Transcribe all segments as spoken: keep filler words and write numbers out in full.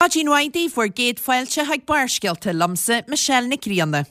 Maidin mhaith daoibh, bhur gcéad fáilte chuig Barrscéalta liomsa, Michelle Nic Grianna.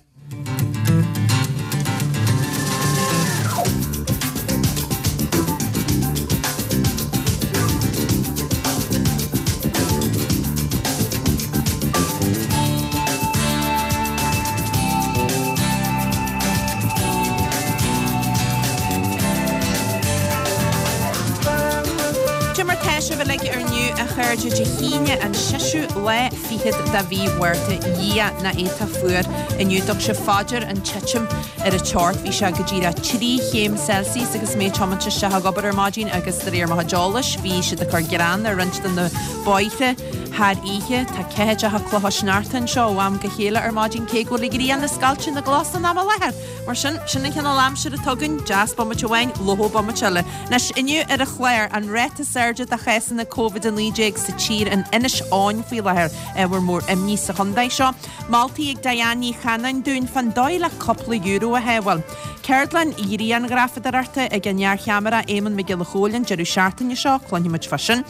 Cad é mar tá sibh uilig inniu a chairde Dé hAoine an seisiú lá fichead de mhí Mhárta Dhia nach iontach fuar inniu dtug sibh fá dear an titim ar an teocht bhí sé go díreach trí chéim Celsius agus mé ag tiomáint isteach ag obair ar maidin agus de réir mo chuid eolais bhí siad ag cur grean ar roinnt de na bóithre thar oíche. Tá ceathaideacha clocha sneachta anseo ó am go chéile ar maidin cé go bhfuil an ghrian ag scoilteadh na gcos san am i láthair. Mar sin, sin an cineál aimsire atá againn, deas bomaite amháin, lofa bomaite eile. Anois, inniu ar an chlár, an ráta is airde de chásanna Covid a naoi déag sa tír in Inis Eoghain faoi láthair, ábhar mór imní sa chontae seo. Moltaí ag Diane Ní Chanainn dúinn fán dóigh le cúpla euro a shábháil. Ceardlann ghrianghrafadóireachta ag an iarcheamara Éamonn Mac Giolla Chóill an deireadh seachtaine seo, cluinfidh muid fá sin.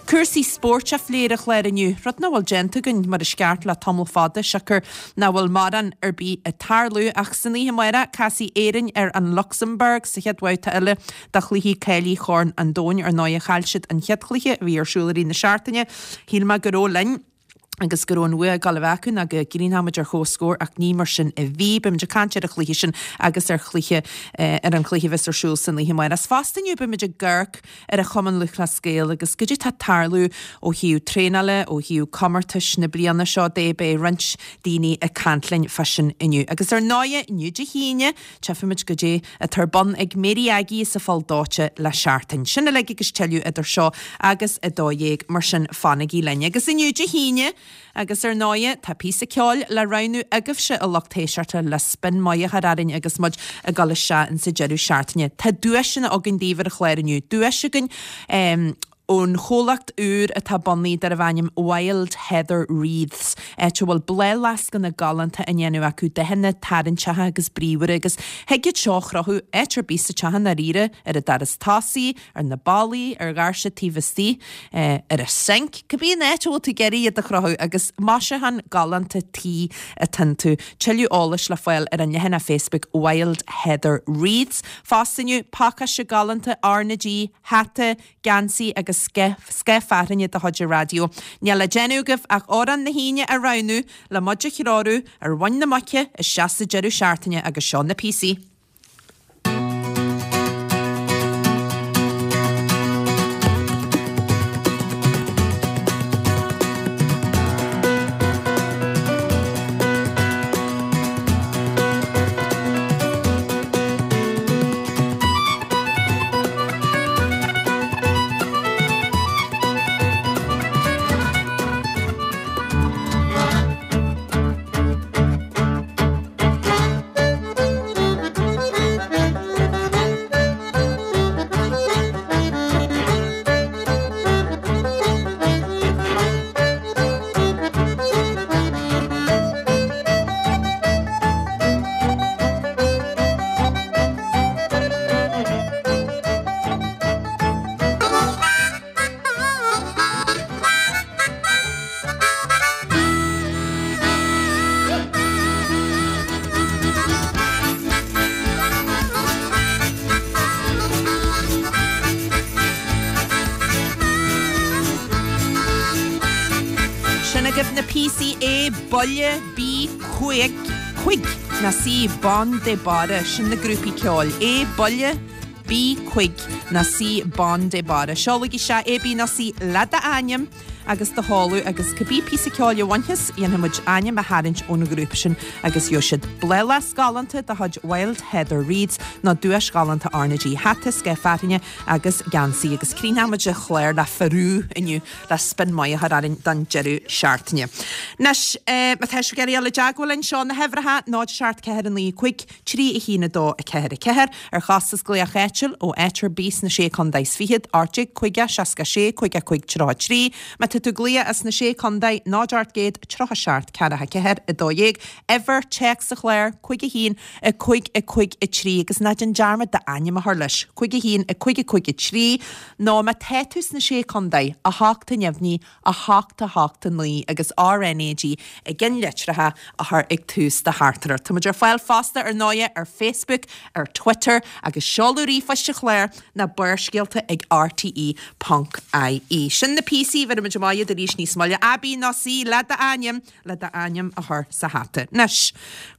Cúrsaí spóirt á phlé ar an chlár inniu, rud nach bhfuil déanta againn mar is ceart le tamall fada, siocair nach bhfuil mórán ar bith ag tarlú. Ach san oíche amárach, casfaidh Éirinn ar an Lucsamburg sa chéad bhabhta eile de chluichí cáilithe Chorn an Domhain. Ar ndóigh, chaill siad an chéad chluiche a bhí ar siúl i rith na seachtaine. Shíl mé go raibh linn. agus go raibh an bhua ag dul a bheith acu nó go gcríochnódh muid ar comhscór ach ní mar sin a bhí. Beimid ag caint ar an chluiche sin agus ar chluiche ar an chluiche a bheas ar siúl san oíche amárach. Is fosta inniu beimid ag amharc ar an Chumann Lúthchleas Gael agus goidé tá ag tarlú ó thaobh traenála, ó thaobh comórtais na bliana seo de. Beidh roinnt daoine ag caint linn fá sin inniu. Agus ar ndóighe, inniu Dé hAoine, tchífimid goidé atá ar bun ag Mary Aggie sa Pholl Dóite le seachtain. Sin uilig agus tuilleadh idir seo agus a dó dhéag, mar sin fanaigí linn. Agus inniu Dé hAoine, agus ar ndóighe, tá píosa ceoil le roghnú agaibhse a lucht éisteachta le spin maith a chur orainn agus muid ag dul isteach insa deireadh seachtaine. Tá duaiseanna againn daoibh ar an chlár inniu. Duais againn ón chomhlacht úr atá bunaithe darbh ainm Wild Heather Wreaths, áit a bhfuil bláthfhleascanna galánta á ndéanamh acu, dathanna tarraingteacha agus bríomhara, agus thig iad seo a chrochadh áit ar bith sa teach i ndáiríre, ar an doras tosaigh, ar na ballaí, ar dhoirse taobh istigh, ar an sinc, cibé an áit a bhfuil tú ag iarraidh iad a chrochadh, agus maisiúchán galánta tí atá iontu. Tuilleadh eolais le fáil ar an leathanach Facebook Wild Heather Wreaths. Fosta inniu, pacáiste galánta R na G, hata, geansaí agus scaif fearthainne de chuid an raidió. Níl le déanamh agaibh ach amhrán na hAoine a roghnú le muid a threorú ar mhuin na muice isteach sa deireadh seachtaine agus seo na píosaí. Sin agaibh na píosaí A, Buile, B, Cuig, Cuig, nó C, Bonn de Barra. Sin na grúpaí ceoil. A, Buile, B, Cuig, nó C, Bonn de Barra. Seolaigí isteach A, B nó C le d'ainm agus do sheoladh agus cibé píosa ceoil a bhainfeas, dhéanfaidh muid ainm a tharraingt ón ghrúpa sin agus gheobhaidh siad bláthfhleasc galánta de chuid Wild Heather Wreaths nó duais ghalánta R na G, hata, scaif fearthainne agus geansaí. Agus críochnóidh muid an chlár le Faroe inniu le spin maith a chur orainn don deireadh seachtaine. Anois, má tá sibh ag iarraidh dul i dteagmháil linn, seo na huimhreacha, náid seacht ceathair a naoi cúig trí a haon a dó a ceathair a ceathair, ar chostas glaoch áitiúil ó áit ar bith sna Sé Contae is Fichead, ocht déag caoga seasca sé caoga cúig tríocha trí. Má tá Má tá tú ag glaoch as na Sé Chontae, náid ocht gcéad tríocha seacht ceathracha ceathair a dó dhéag, uimhir téacs sa chlár, cúig a haon, a cúig a cúig a trí, agus ná déan dearmad d'ainm a chur leis, cúig a haon, a cúig a cúig a trí, nó má tá tú sna Sé Chontae, a hocht a neamhní, a hocht a hocht a naoi agus R N A G i gceannlitreacha a chur ag tús do theachtaireacht. Tá muid ar fáil fosta ar ndóighe ar Facebook, ar Twitter agus seoladh ríomhphoist an chláir ná Barrscéalta ag R T E ponc I E. Sin na píosaí, bheir muid amach iad arís níos moille. A, B nó C, le d'ainm, le d'ainm a chur sa hata. Anois,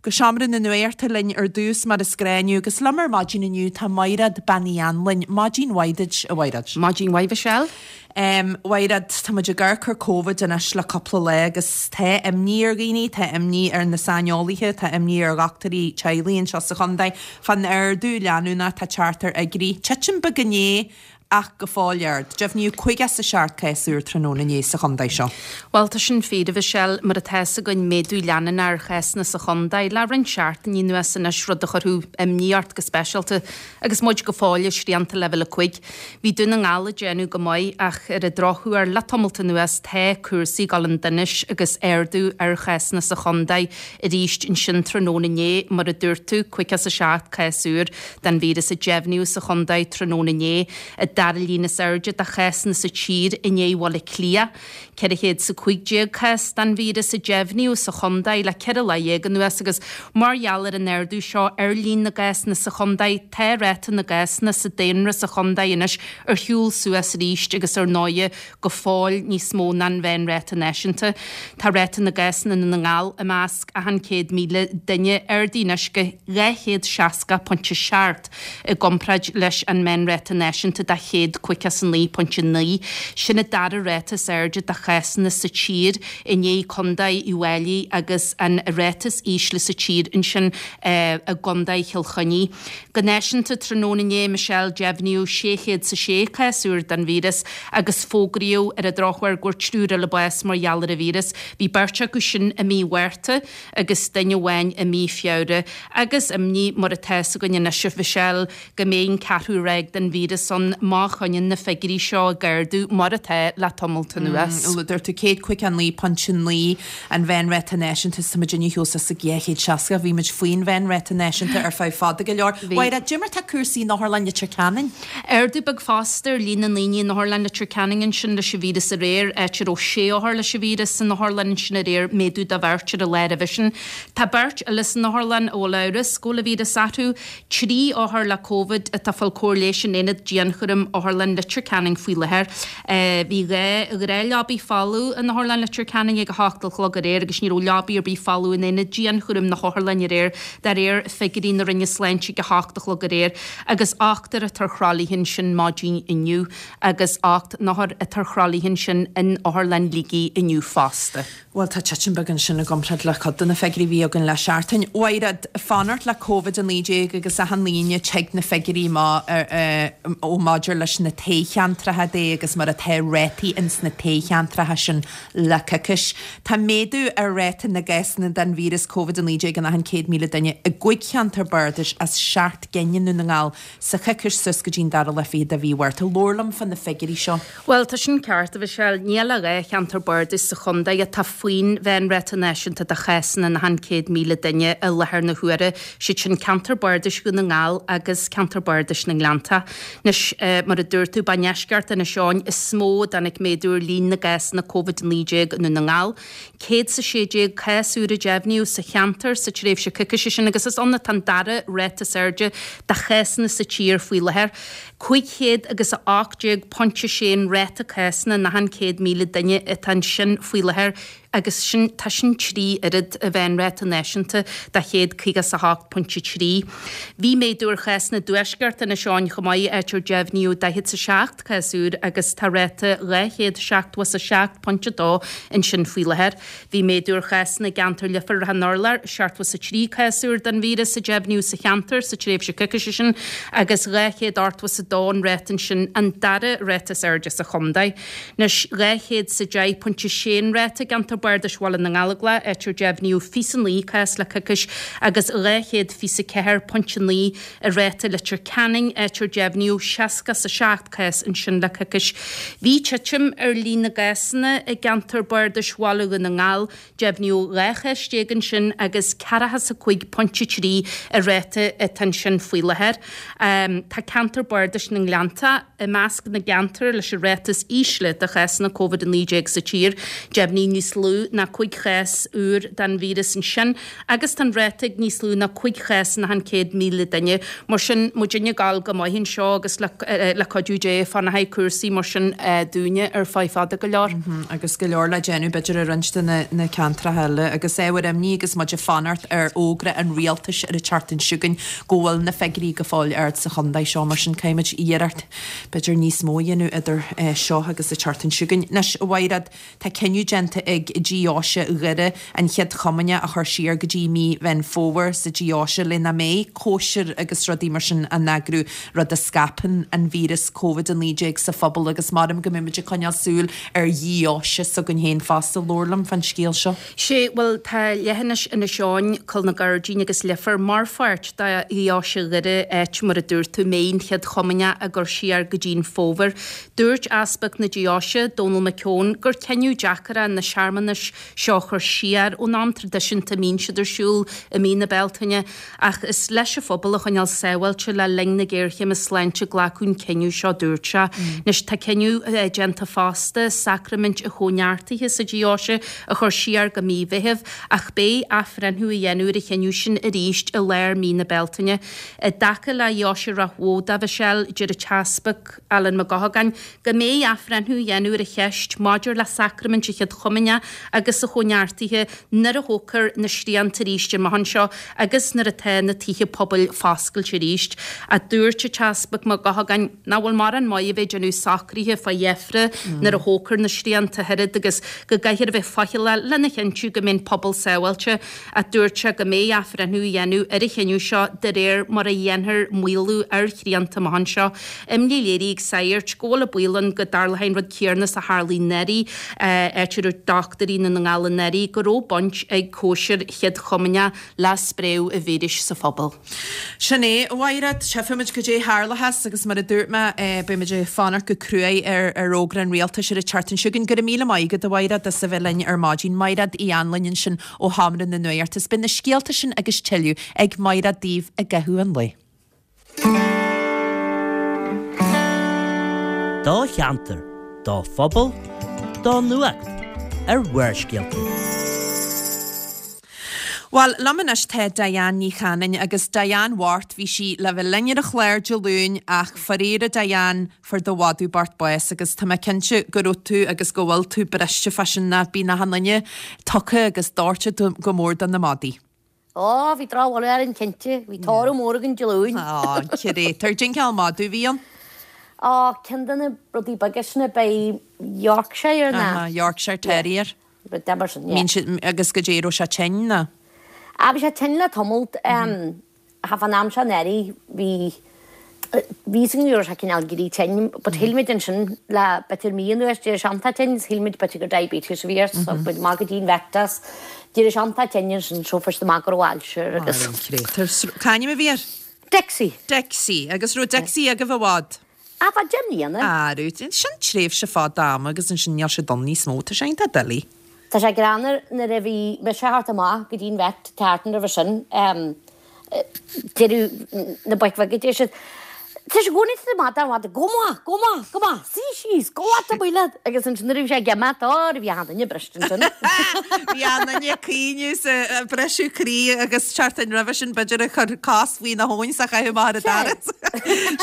go seomra na nuachta linn ar dtús mar is gnách inniu, agus liom ar maidin inniu tá Maighread Bean Uí Anluain. Maidin mhaith duit, a Mhaighread. Maidin mhaith, Michelle. Um, Mhaighread, tá muid ag amharc ar Covid anois le cúpla lá agus tá imní ar dhaoine, tá imní ar na saineolaithe, tá imní ar dhochtúirí teaghlaigh anseo sa chontae. Fán ardú leanúnach tá teacht ar fhigiúirí. Titim beag inné ach go fóill ard. Deimhníodh caoga is a seacht cás úr tráthnóna inné sa chontae seo. Bhuel, tá sin fíor, a Mhichelle, mar atá a fhios againn méadú leanúnach ar chásanna sa chontae le roinnt seachtainí anuas anois, rud a chuirfeadh imní ort go speisialta agus muid go fóill i srianta leibhéal a cúig. Bhí Dún na nGall ag déanamh go maith ach ar an drochuair le tamalt anuas tá cúrsaí ag dul chun donais agus ardú ar chásanna sa chontae arís ansin tráthnóna inné, mar a dúirt tú, caoga is a seacht cás úr den víreas a deimhníodh sa chontae tráthnóna inné. I dara líon is airde de chásanna sa tír i ndiaidh Bhaile Átha Cliath. Ceithre chéad is a cúig déag cás den víreas a deimhníodh sa chontae le ceithre lá dhéag anuas agus mar gheall ar an ardú seo ar líon na gcásanna sa chontae, tá ráta na gcásanna sa daonra sa chontae anois ar shiúl suas arís agus ar ndóighe go fóill níos mó ná an mheánráta náisiúnta. Tá ráta na gcásanna i nDún na nGall i measc achan céad míle duine ardaithe anois go dhá chéad seasca pointe seacht i gcomparáid leis an meánráta náisiúnta de chéad caoga is a naoi pointe naoi. Sin an dara ráta is airde de chásanna sa tír i ndiaidh Contae Uíbh Fhailí agus an ráta is ísle sa tír ansin, eh, i gContae Chill Chainnigh. Go náisiúnta tráthnóna inné, Michelle, deimhníodh sé chéad is a sé cás úr den víreas agus fógraíodh ar an drochuair go bhfuair triúr eile bás mar gheall ar an víreas. Bhí beirt acu sin i mí Mhárta agus duine amháin i mí Feabhra. Agus imní mar atá a fhios againn anois, a Mhichelle, go mbeidh an ceathrú ráig den víreas ann má choinníonn na figiúirí seo ag ardú mar atá le tamalt anuas. Mm, dúirt tú céad caoga a naoi pointe naoi an mheánráta náisiúnta is tá muid inniu thuas sa dhá chéad seasca, bhí muid faoin mheánráta náisiúnta ar feadh fada go leor. Bhí. Mhaighread, cad é mar tá cúrsaí in Otharlann Leitir Ceanainn? Ardú beag fosta ar líon na ndaoine in Otharlann Leitir Ceanainn ansin leis an víreas aréir, áit a raibh sé othar leis an víreas san otharlann ansin aréir, méadú de bheirt ar an lá roimhe sin. Tá beirt eile san otharlann a bhfuil amhras go bhfuil an víreas orthu, trí othar le Covid atá ag fáil cóir leighis in aonad dianchúraim Otharlann Leitir Ceanainn faoi láthair. Bhí dhá ghnáthleabaidh folamh in Otharlann Leitir Ceanainn ag a hocht a chlog aréir agus ní raibh leabaidh ar bith folamh in aonad dianchúraim na hotharlainne aréir, de réir figiúirí na Roinne Sláinte ag a hocht a chlog aréir, agus ochtar atá ar thralaithe ansin maidin inniu agus ocht n-othar atá ar thralaithe ansin in Otharlann Shligigh inniu fosta. Bhuel, tá titim beag ansin i gcomparáid le cuid de na figiúirí a bhí againn le seachtain. Mhaighread, fanacht le Covid a naoi déag agus achan aoinne tig na figiúirí ó maidir leis na toghcheantracha de agus mar atá rátaí ins na toghcheantracha sin le coicís. Tá méadú ar ráta na gcásanna den víreas Covid a naoi déag in achan céad míle duine i gcúig cheantar bardais as seacht gcinn i nDún na nGall sa choicís suas go dtí'n dara lá fichead de mhí Mhárta. Labhair liom fá na figiúirí seo. Bhuel, tá sin ceart, a Mhichelle. Níl ach dhá cheantar bardais sa chontae atá faoin mheánráta náisiúnta de chásanna in achan céad míle duine i láthair na huaire, siad sin ceantar bardais Dhún na nGall agus ceantar bardais na nGleannta. Anois, mar a dúirt tú, ba i ndeisceart Inis Eoghain is mó a dtáinig méadú ar líon na gcásanna Covid a naoi déag i nDún na nGall. Céad is a sé déag cás úr a deimhníodh sa cheantar sa tréimhse coicíse sin agus is ann atá an dara ráta is airde de chásanna sa tír faoi láthair. Cúig chéad agus a ocht déag pointe sé an ráta cásanna in achan céad míle duine atá ansin faoi láthair agus sin, tá sin trí oiread an mheánráta náisiúnta de chéad caoga is a hocht pointe trí. Bhí méadú ar chásanna i dtuaisceart Inis Eoghain chomh maith, áit ar deimhníodh daichead is a seacht cás úr agus tá ráta dhá chéad seachtó is a seacht pointe dó ansin faoi láthair. Bhí méadú ar chásanna i gceantar Leifear Ráth an Urláir, seachtó is a trí cás úr den víreas a deimhníodh sa cheantar sa tréimhse coicíse sin agus dhá chéad ochtó is a dó dó an ráta ansin, an dara ráta is airde sa chontae. Anois, dhá chéad 's a deich pointe sé an ráta i gceantar bardais Bhaile na nGallóglach, áit ar deimhníodh fiche 's a naoi cás le coicís, agus dhá chéad fiche 's a ceathair pointe naoi an ráta i Leitir Ceanainn, áit ar deimhníodh seasca 's a seacht cás ansin le coicís. Bhí titim ar líon na gcásanna i gceantar bardais Bhaile Dhún na nGall, Deimhníodh dhá chás déag ansin agus ceathracha 's a cúig pointe trí an ráta atá ansin faoi láthair. Tá ceantar bardais na nGleanntach i measc na gceantar leis an ráta is ísle de chásanna Covid a naoi déag sa tír. Deimhníodh níos lú ná cúig chás úr den víreas ansin agus tá an ráta ag níos lú ná cúig chás in achan céad míle duine. Mar sin, muidinne ag gabháil go maith anseo agus le cuidiú Dé fanfaidh cúrsaí mar sin dúinne ar feadh fada go leor. Agus go leor le déanamh b'fhéidir i roinnt de na ceantracha eile agus ábhar imní agus muid ag fanacht ar fhógra an rialtais ar an tseachtain seo chugainn go bhfuil na figiúirí go fóill ard sa chontae seo mar sin caithfimid iarracht b'fhéidir níos mó a dhéanamh idir seo agus an tseachtain seo chugainn. Anois, a Mhaighread, tá cinneadh déanta ag Deoise Dhoire an Chéad Chomaoineach a chur siar go dtí mí Mheán Fómhair sa Deoise le nach mbeidh cóisir agus rudaí mar sin á n-eagrú, rud a scaipeann an víreas Covid a naoi déag sa phobal agus maram go mbeidh muid ag coinneáil súil ar dheoise s'againn féin fosta. Labhair liom fán scéal seo. Sé, bhuel, tá leithinis Inis Eoghain, Coill na Gairdín agus Leifear mar pháirt de Dheoise Dhoire, áit, mar a dúirt tú, mbeidh an Chéad Chomaoineach á gcur siar go dtí an fómhar. Dúirt Easpag na Deoise, Dónal McKeown, gur cinneadh deacair é na searmanais seo a chur siar ón am traidisiúnta a mbíonn siad ar siúl i mí na Bealtaine, ach is leis an phobal a choinneáil sábháilte le linn na géarchéime sláinte a glacadh an cinneadh seo, dúirt sé. Anois tá cinneadh déanta fosta sacraimint an Chóineartaithe sa deoise a chur siar go mí Mheithimh ach beidh athbhreithniú á dhéanamh ar an chinneadh sin arís i lár mí na Bealtaine. I dtaca le deoise Ráth Bhoth de, Michelle, deir an tEaspag Alan Mac Eochagáin go mbeidh athbhreithniú á dhéanamh ar an cheist maidir le sacraimint an Chéad Chomaoineach agus an Chóineartaithe nuair a thógfar na srianta arís amach anseo agus nuair atá na tithe pobail foscailte arís. Ach dúirt an tEaspag Mac Eochagáin nach bhfuil mórán maith a bheith ag déanamh socruithe fá dheifre nuair a thógfar na srianta ach oiread agus go gcaithfear a bheith faichilleach lena chinntiú go mbeidh an pobal sábháilte. Ach dúirt sé go mbeidh athbhreithniú á dhéanamh ar an chinneadh seo de réir mar a dhéanfar maolú ar shrianta amach anseo. Imní léirithe ag sagairt go bhfuil an baol ann go dtarlóidh an rud céanna is a tharlaigh anuraidh, áit a dúirt dochtúirí i nDún na nGall anuraidh go raibh baint ag cóisir Chéad Chomaoineach le spréadh an víris sa phobal. Sin é, a Mhaighread, tchífimid goidé tharlóchas agus mar a dúirt mé, beimid ag fanacht go cruaidh ar ar fhógra an rialtais ar an tseachtain seo chugainn. Go raibh míle maith agat, a Mhaighread, as a bheith linn ar maidin. Maighread Uí Anluain ansin ó Sheomra na Nuachta. Is beidh na scéalta sin agus tuilleadh ag Maighread daoibh i gcaitheamh an lae. Do cheantar, do phobal, do nuacht ar Bharrscéalta. Bhuel, liom anois tá Diane Ní Chanainn agus Diane bhocht, bhí sí le bheith linn ar an chlár Dé Luain ach faraor a Diane, fuair do mhadadh bocht bás agus tá mé cinnte go raibh tú agus go bhfuil tú briste fá sin ná bíonn achan duine tugtha agus dóite go mór do na madaí. Ó, bhí drochbholadh orainn cinnte. Bhí tórramh mór againn Dé Luain. Á, créatúr. Cén cineál madadh a bhí ann? Ó, ceann de na rudaí beaga sin ab é Yorkshire ná? Aha, Yorkshire Terrier. Rud de mar sin, yeah. Mbíonn siad, agus goidé, raibh sé tinn ná? Á, bhí sé tinn le tamalt. Ach fán am seo anuraidh bhí, bhí fhios againn go raibh sé cineál ag éirí tinn, but shíl muid ansin le b'fhéidir mí anuas d'éirigh sé iontach tinn, shíl muid b'fhéidir gur diabetes a bhí air, so muid amach go dtí an vet as. D'éirigh sé iontach tinn ansin, so fuair siad amach go raibh ailse air agus. Ar an créatúr. C'ainm a bhí air? Dixie. Dixie. Agus raibh Dixie agaibh i bhfad? Á, fá deich mbliana. Á, raibh. Sin tréimhse fada ama agus ansin níl siad ann níos mó. Tá sé iontach doiligh. Tá sé greannmhar nuair a bhí mise a theacht amach go dtí an vet an tseachtain roimhe sin, deireadh na boic bheaga, deir siad, Tá sé i gcónaí ag tabhairt an mhadaidh, gabh amach, gabh amach, gabh amach, suigh síos, gabh leat amuigh leat! Agus ansin nuair a bhí sé ag imeacht, á, bhí achan duine briste ansin. Bhí achan duine ag caoineadh is ag briseadh croí agus seachtain roimhe sin b'fhéidir ag cur cos faoina thóin is á chaitheamh amach ar an doras.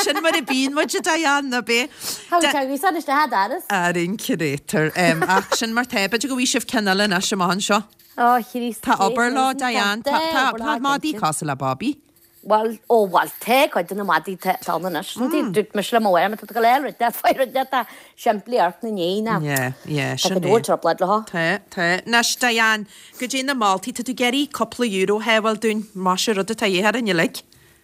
Sin mar a bíonn muid, a Diane, ná b'é? Thagadh sé aníos isteach an doras. Ar an créatúr. Ach sin mar tá. B'fhéidir go bhfaighidh sibh ceann eile anois amach anseo. Ó, Chríost. Tá obair leo, Diane. Tá, tá, tá madaí cosúil le Bobby. Bhuel, ó, bhuel, tá cuid de na madaí tá ann anois. Dúirt mise le mo mháthair, má tá tú ag dul a fháil rud leat, faigh rud leat atá simplí amharc ina ndiaidh ná. Yeah, yeah, Tá sin cuid é. mhór trioblóid leo. Tá, tá. Anois, Diane, goidé na moltaí, tá tú ag iarraidh cúpla euro a shábháil dúinn, más é rud atá de dhíth orainn uilig.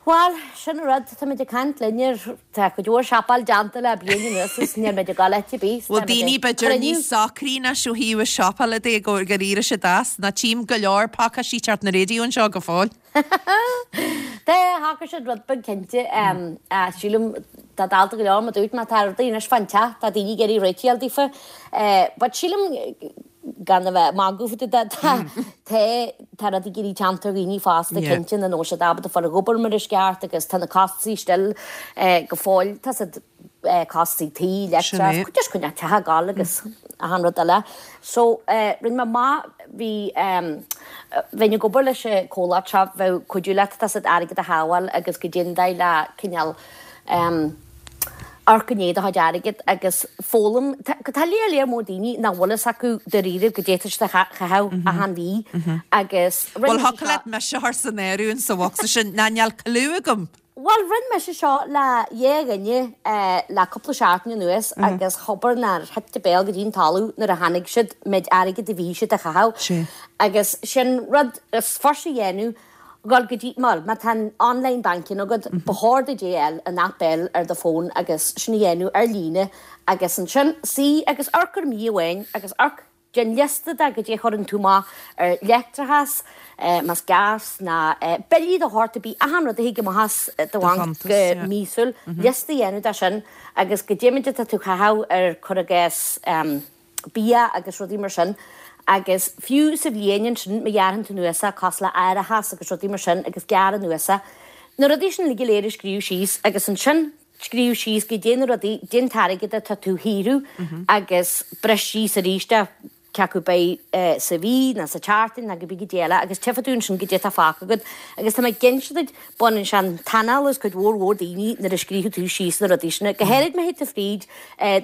Bhuel, sin an rud, táimid ag caint linn ar, tá cuid mhór siopail déanta le bliain anuas is níl muid ag dul áit ar bith. Bhfuil daoine b'fhéidir níos socraí anois ó thaobh a siopail de go gur éirigh siad as, ná tchím go leor pacáistí teacht na raidió anseo go fóill. Tá, shocraigh siad rud beag cinnte, sílim tá dalta go leor, mar dúirt mé, tá rudaí anois fán teach, tá daoine ag iarraidh réitigh a fháil daofa. But sílim gan a bheith ag magadh fá dtaobh de, tá tá tá rudaí ag éirí teannta ar dhaoine fosta cinnte nach bhfuil siad ábalta fáil ag obair mar is ceart agus tá na costasaí still go fóill, tá siad costasaí tí, leictreachas, just coinneáil teach ag gabháil agus achan rud eile. So rinne mé maith, bhí bheinn ag obair leis an comhlacht seo bheadh cuidiú leat tá siad airgead a shábháil agus go dtéann d'aghaidh le cineál amharc i ndiaidh do chuid airgid agus foghlaim. Tá léar léar mór daoine nach bhfuil fhios acu dáiríre goidé atá siad a chaitheamh achan mhí agus rinne Bhuel thiocfadh leat mise a chur san áireamh sa bhocsa sin ná níl clue agam. Bhuel rinne mise seo le dhá dhuine le cúpla seachtain anuas agus chobair nár thit a béal go dtí an talamh nuair a chonaic siad méid airgid a bhí siad a chaitheamh agus sin rud is fusa a dhéanamh Dhul go dtí, bhuel, má tá an online banking agat, ba chóir duit é a fháil, an app a fháil ar do fón agus sin a dhéanamh ar líne agus ansin suí agus amharc ar mí amháin agus amharc, déan liosta de goidé a chuireann tú amach ar leictreachas, más gas ná billí de shórt ar bith, achan rud a thig amach as do bhanc go míosúil, liosta a dhéanamh de sin agus goidé méid atá tú a chaitheamh ar, cuir i gcás, bia agus rudaí mar sin agus fiú sa bhliain ansin má ghearrann tú anuas é cosúil le árachas agus rudaí mar sin agus gearr anuas é, na rudaí sin uilig go léir a scríobh síos agus ansin scríobh síos goidé na rudaí, goidé an t-airgead atá tú a shaothrú agus bris síos arís é cé acu beidh sa mhí nó sa tseachtain nó cibé goidé eile agus tchífidh tú ansin goidé atá fágtha agat agus tá mé ag inse duit baineann sé an t-anáil as cuid mhór mhór daoine nuair a scríobhann tú síos na rudaí sin, go háirid má théid tú fríd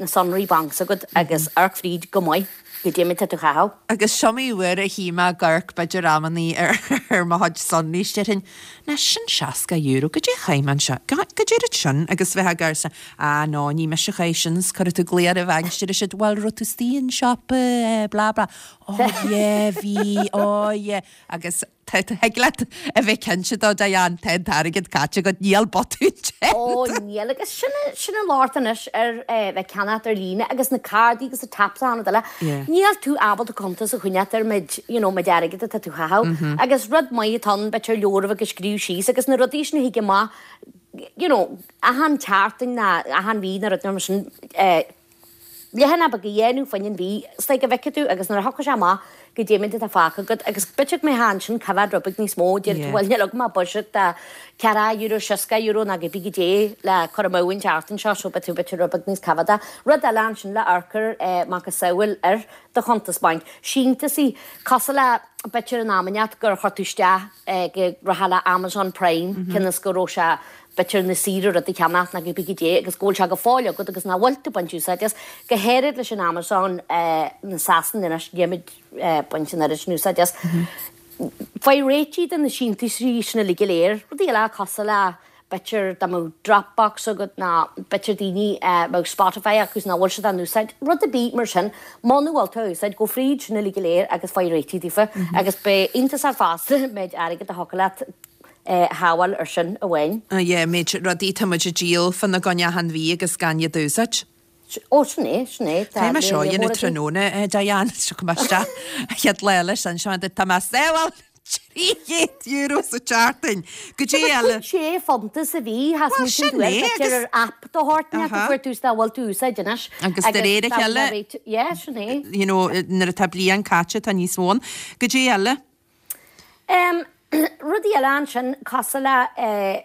na sonraí bainc s'agat agus amharc fríd go maith goidé méid atá tú a chaitheamh. Agus is iomaí uair a shuigh mé ag amharc b'fhéidir amannaí ar ar mo chuid sonraí is déarfainn, ná sin seasca euro, goidé a chaith mé anseo, goidé rud sin agus bheith ag amharc is ah no ní mise a chaith sin is cuirfidh tú glaoch ar an bhanc is déarfaidh siad bhuel raibh tú istigh in siopa eh blah blah oh yeah bhí oh yeah agus tá thig leat a bheith cinnte de Diane tá an t-airgead caite agat níl botún déanta. Ó níl agus sin sin an locht anois ar eh, bheith ceannacht ar líne agus na cárdaí agus na taps an rud eile. Yeah. Níl tú ábalta cuntas a choinneáil ar méid you know, méid airgead atá tú a chaitheamh. Agus rud maith atá ann b'fhéidir leabhar a bheith ag scríobh síos agus na rudaí sin a thig amach you know, achan tseachtain ná achan mhí nó rud mar sin eh, leathanach beag a dhéanamh fá choinne an mhí, is like go bhfeicfidh tú agus nuair a thiocfaidh sé amach goidé méid atá fágtha agat agus b'fhéidir go mbeifeá ansin coimhéad rud beag níos mó, déarfaidh tú Yeah. bhuel níl agam ach buiséad de ceathracha euro, seasca euro nó cibé goidé le cur amú an tseachtain seo so beidh tú b'fhéidir rud beag níos coimhéadaí. Rud eile ansin le amharc air eh, macasamhail ar do chuntas bainc, síntiúsaí cosúil le b'fhéidir in amannaí gur chuir tú isteach eh, go raibh le Amazon Prime cionn is go raibh sé b'fhéidir níos saoire rud a cheannach nó cibé goidé agus go bhfuil sé go fóill agat agus nach bhfuil tú ag baint úsáid as, go háirid leis an Amazon na Sasana anois nílimid ag baint an oiread sin úsáid as. Faigh réitigh de na síntiúsaí sin uilig go léir, rudaí eile cosúil le b'fhéidir dá mbeadh Dropbox agat nó b'fhéidir daoine a mbeadh Spotify acu is nach bhfuil siad á n-úsáid, rud ar bith mar sin, muna bhfuil tú á úsáid, gabh fríd sin uilig go léir agus faigh réitigh daofa agus beidh iontas ort fosta méid airgid a thiocfadh leat a shábháil ar sin amháin. Yeah, méid rudaí tá muid ag díol fána gcoinne achan mhí agus gan iad a úsáid. Ó, sin é, sin é. Tá mé seo a dhéanamh tráthnóna, Diane, seo mé isteach an chéad lá eile sin, seo tá mé ag sábháil trí chéad euro sa tseachtain. Goidé eile. Sé phunt sa mhí, has Well, muid sin é, b'fhéidir agus- ar app de shórt inteacht a Aha. fuair tú is dá bhfuil tú úsáid anois. Agus de réir a dá chéile- bhfuil Yeah, sin é. You know, nuair atá bliain caite tá níos mó ann. Goidé eile. Um, rudaí eile ansin cosúil le eh,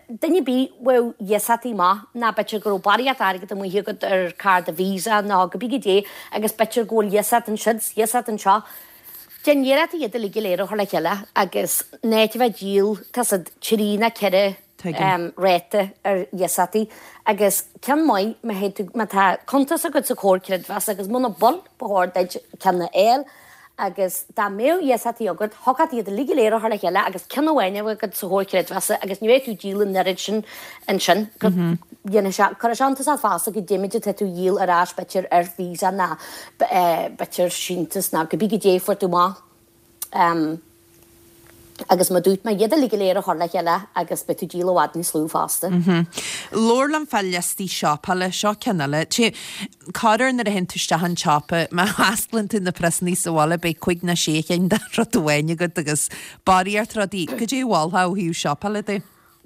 duine ar bith a bhfuil iasachtaí maith ná b'fhéidir go raibh barraíocht airgead amuigh agat ar cárta Visa ná cibé goidé agus b'fhéidir go bhfuil iasacht ansiúd, iasacht anseo. Déan iarracht iad uilig go léir a chur le chéile agus in áit a bheith ag díol tá siad trí nó ceithre Tuigim. um, ráta ar iasachtaí agus ceann maith má théid tú- má tá cuntas agat sa Chomhar Creidmheasa agus muna bhfuil ba chóir duit ceann a fháil agus dá mbeadh iasachtaí agat, thiocfadh iad uilig go léir a chur le chéile agus ceann amháin a bheith agat sa Chomhar Creidmheasa agus ní bheidh tú ag díol an oiread sin ansin. Dhéanfaidh sé, cuirfidh sé iontas ort fosta goidé méid atá tú a dhíol ar ais b'fhéidir ar Visa ná b'fhéidir síntiús ná cibé goidé a fuair tú amach. Um, Agus mar dúirt mé iad uilig go léir a chur le chéile agus beidh tú ag díol i bhfad níos lú fosta. Labhair liom fá liostaí siopaála, seo ceann eile. Té, corruair nuair a théann tú isteach an tsiopa, má osclaíonn tú na priosannaí sa bhaile beidh cúig nó sé chinn de rud amháin agat agus barraíocht rudaí. Cad é a mholfá ó thaobh siopaála de?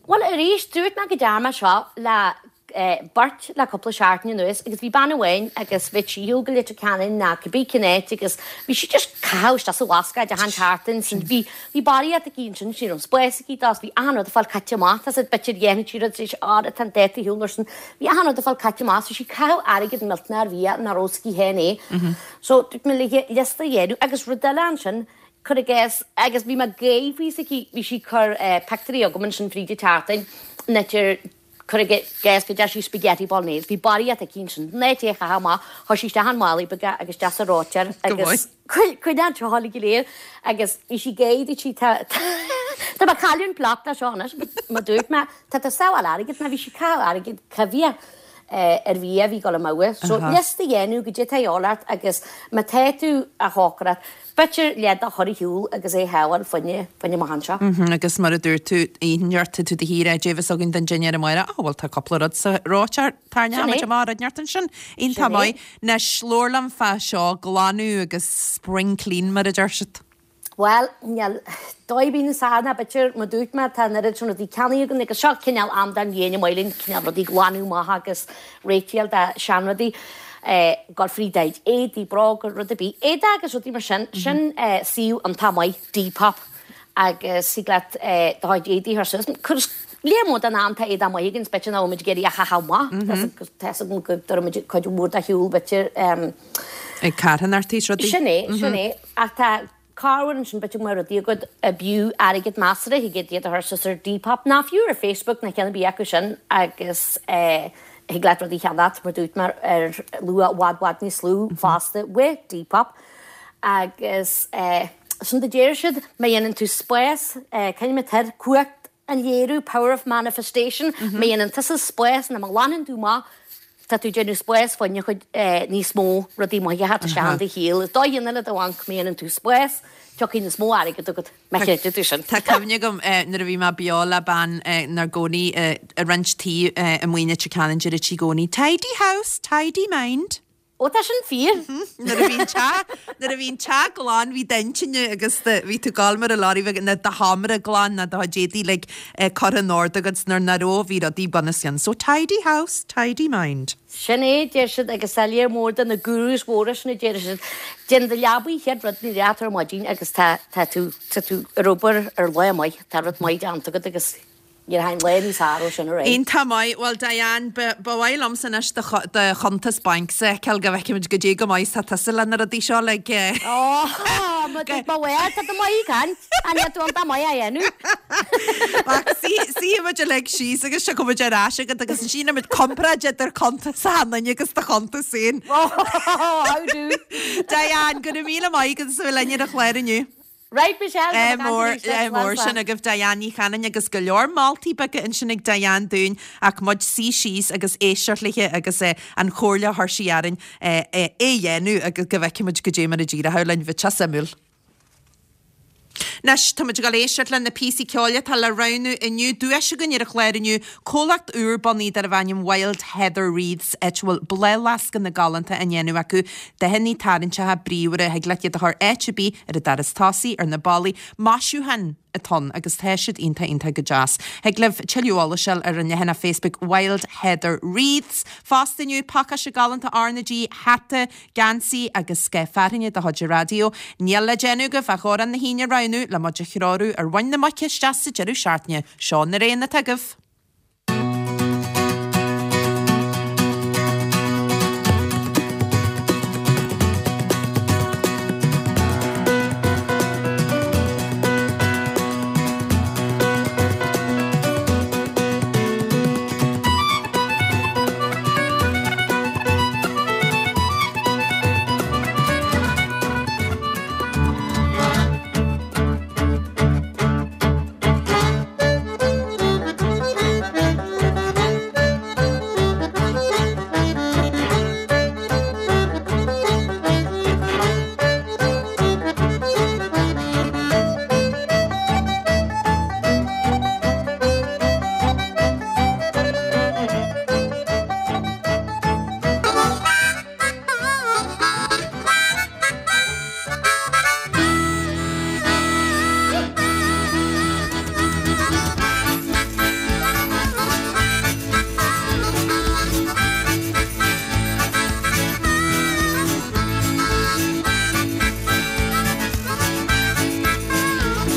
Bhuel arís, dúirt mé go dtearn mé seo le beirt le cúpla seachtain anuas agus bhí bean amháin agus bhí sí go Leitir Ceanainn ná cibé cén áit agus bhí sí just caitheamh isteach sa bhascáid achan tseachtain sin bhí bhí barraíocht aici ansin ní raibh spás aici dó bhí achan rud ag fáil caite amach tá siad b'fhéidir dhéanfaidh sí rud tar éis ár atá an dáta shiúl ar sin bhí achan rud ag fáil caite amach so sí caitheamh airgead millteanach ar bhia nach raibh s'aici féin é so dúirt mé léi liosta a dhéanamh agus rud eile ansin cuir i gcás agus bhí mé gaoth faoi s'aici bhí sí ag cur pictiúirí agam ansin fríd an tseachtain idir Cuir i gcás go deir sí spaghetti bolognese. Bhí barraíocht aici ansin. Ná té a chaitheamh amach. Chuir sí isteach an málaí beaga agus isteach sa reoiteoir agus coinneáil an tseoil go léir agus bhí sí ag gáire dúirt sí tá tá mé ag cailleadh an plot leis seo anois mar dúirt mé tá tú ag sábháil airgid mar bhí sí ag caitheamh airgid coimhthíoch ar bhia a bhí ag dul amú. So liosta a dhéanamh goidé atá a dhíobháil ort agus má tá tú a chócaireacht B'fhéidir leath de a chur ar shiúl agus é a shábháil fá choinne, fá choinne amach anseo. Mhm, agus mar a dúirt tú, oíche tá tú do shuí goidé a bheas againn don dinnéar amárach, ah bhuel tá cúpla rud sa reoiteoir, Sin tarraingeoidh é. amach rud inteacht ansin. Iontach Sin é. maith. Anois, labhair liom fá seo, glanadh agus spring clean mar a deir siad. Bhuel, níl dóigh ar bith níos fearr ná b'fhéidir, mar dúirt mé, tá an oiread sin rudaí ceannaithe againn agus seo cineál am den bhliain an maith linn cineál rudaí glanadh amach agus réitíl de seanrudaí, gabháil fríd do chuid éadaí, bróga, rud ar bith, éadaí agus rudaí mar sin, sin suíomh iontach maith, Depop, agus thig leat do chuid éadaí a chur suas. Cuir léar mór den am tá éadaí maith againn, is b'fhéidir nach bhfuil muid ag iarraidh a chaitheamh amach, tá 'fhios agam go dtabharfaidh muid cuid mhór de ar shiúl b'fhéidir. Ag carthanacht is rudaí. Sin é, sin é, ach tá. Corruair ansin b'fhéidir go mbeadh rudaí agat ab fhiú airgead measartha thig iad a chur suas ar Depop ná fiú ar Facebook ná ceann ar bith acu sin agus thig leat rudaí a cheannacht mar dúirt mé ar luach i bhfad bhfad níos lú fosta with Depop agus sin do deir siad má dhéanann tú spás cén mar cumhacht an léiriú power of manifestation má dhéanann tusa spás nó má ghlanann tú amach Tá tú ag déanamh spás fá choinne chuid níos mó rudaí maithe a theacht isteach in do shaol. Is dóigh le do bhanc má dhéanann tú spás, tiocfaidh níos mó airgid agat, má chreideann tú sin. Tá cuimhne agam nuair a bhí mé beo le bean inár gcónaí i roinnt tí amuigh in Leitir Ceanainn deireadh sí i gcónaí 'Tidy house, tidy mind'. Ó tá sin fíor. Nuair a bhí an teach, nuair a bhí an teach glan bhí d'intinn agus do, bhí tú ag gabháil mar a lorry bheag, nó do sheomra glan nó do chuid éadaí uilig curtha in ord agat 's nuair nach raibh bhí rudaí bunoscionn. So tidy house, tidy mind. Sin é, deir siad, agus tá léar mór de na gurus mhóra sin a deir siad, déan do leabaidh an chéad rud nuair a éiríonn tú ar maidin agus tá, tá tú, tá tú ar obair ar lá maith, tá rud maith déanta agat agus. Níor tháinig lá níos fearr ó sin ar aghaidh. Iontach maith. Bhuel, Diane, ba mhaith liomsa anois do chuntas bainc a fheiceáil go bhfeicfimid goidé go maith is atá tusa le na rudaí seo like. Ó, má dúirt mo mhaith, tá tú maith ag caint. An níl tú iontach maith á dhéanamh? Ach suífidh muid uilig síos agus tiocfaidh muid ar ais agat agus ansin déanfaidh muid comparáid idir cuntas achan duine agus do chuntas féin. Ó, how do? Diane, go raibh míle maith agat as a bheith linn ar an chlár inniu. Right Michelle, Ádh mór, ádh mór sin agaibh Diane Ní Chanainn agus go leor moltaí beaga ansin ag Diane dúinn ach muid suí síos agus éisteacht léi agus an chomhairle a chuir sí orainn é a dhéanamh agus go bhfeicfidh muid goidé mar a d'éireoidh linn. Bheadh sé suimiúil. Anois, tá muid ag dul éisteacht le na píosaí ceoil atá le roghnú inniu. Duais againn ar an chlár inniu, comhlacht úr bunaithe darbh ainm Wild Heather Wreaths, áit a bhfuil bláthfhleascanna galánta á ndéanamh acu, dathanna tarraingteacha bríomhara a thig leat iad a chur áit ar bith, ar an doras tosaigh, ar na ballaí. Maisiúchán atá ann agus tá siad iontach iontach go deas. Thig libh tuilleadh eolais a fháil ar an leathanach Facebook Wild Heather Wreaths. Fosta inniu, pacáiste galánta R na G, hata, geansaí agus scoth fearthainne de chuid an raidió. Níl le déanamh agaibh ach amhrán na hAoine a roghnú le muid a threorú ar mhuin na muice isteach sa deireadh seachtaine. Seo na roghanna atá agaibh.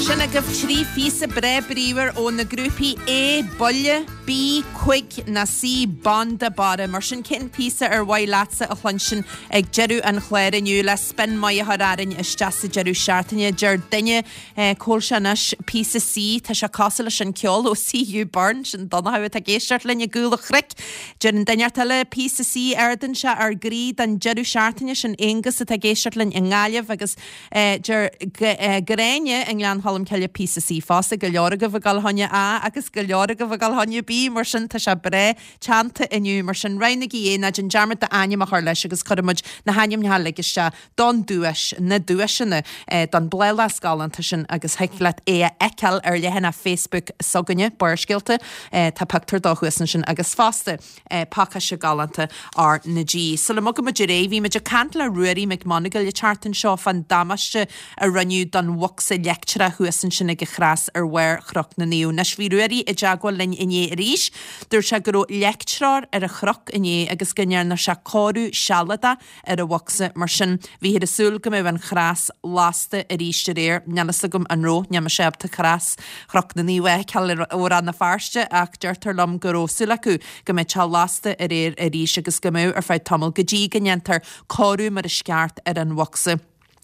Sin agaibh trí phíosa breá bríomhar ó na grúpaí A, Buile, B, Cuig ná C, Banda Barra. Mar sin cén píosa ar mhaith leatsa a chluinstin ag deireadh an chláir inniu le spin maith a chur orainn isteach sa deireadh seachtaine? Deir duine, cá bhfuil sé anois, píosa C, tá sé cosúil leis an ceol ó CU Burn, sin Donnchadh atá ag éisteacht linn i gCúl an Chnoic. Deir an duine eile, píosa C, ardaíonn sé ár gcroí don deireadh seachtaine, sin Aonghus atá ag éisteacht linn i nGaillimh agus deir Gráinne i nGleann Cholm Cille píosa C fosta, go leor agaibh ag dul fá choinne A agus go leor agaibh ag dul fá choinne B, mar sin tá sé breá teannta inniu, mar sin roghnaigí é, ná déan dearmad d'ainm a chur leis agus cuirfidh muid na hainmneacha uilig isteach don duais, na duaiseanna, don bhláthfhleasc galánta sin agus thig leat é a fheiceáil ar leathanach Facebook s'againne, Barrscéalta, tá pictiúr dó thuas ansin agus fosta pacáiste galánta R na G. Sula mbogann muid ar aghaidh, bhí muid ag caint le Ruairí Mac Monagail an tseachtain seo fán damáiste a rinneadh don bhocsa leictreach thuas ansin ag an chros ar bharr Chnoc na Naomh. Anois bhí Ruairí i dteagmháil linn inné arís. Dúirt sé go raibh leictreoir ar an chnoc inné agus go ndearna sé cóiriú sealadach ar an bhocsa. Mar sin, bhíthear ag súil go mbeadh an chros lasta arís aréir. Níl fhios agam an raibh, níl mise ábalta cros Chnoc na Naomh a fheiceáil ó Rann na Feirste ach deirtear liom go raibh súil acu go mbeadh sé lasta aréir arís agus go mbeadh ar feadh tamaill go dtí go ndéantar cóiriú mar is ceart ar an bhocsa.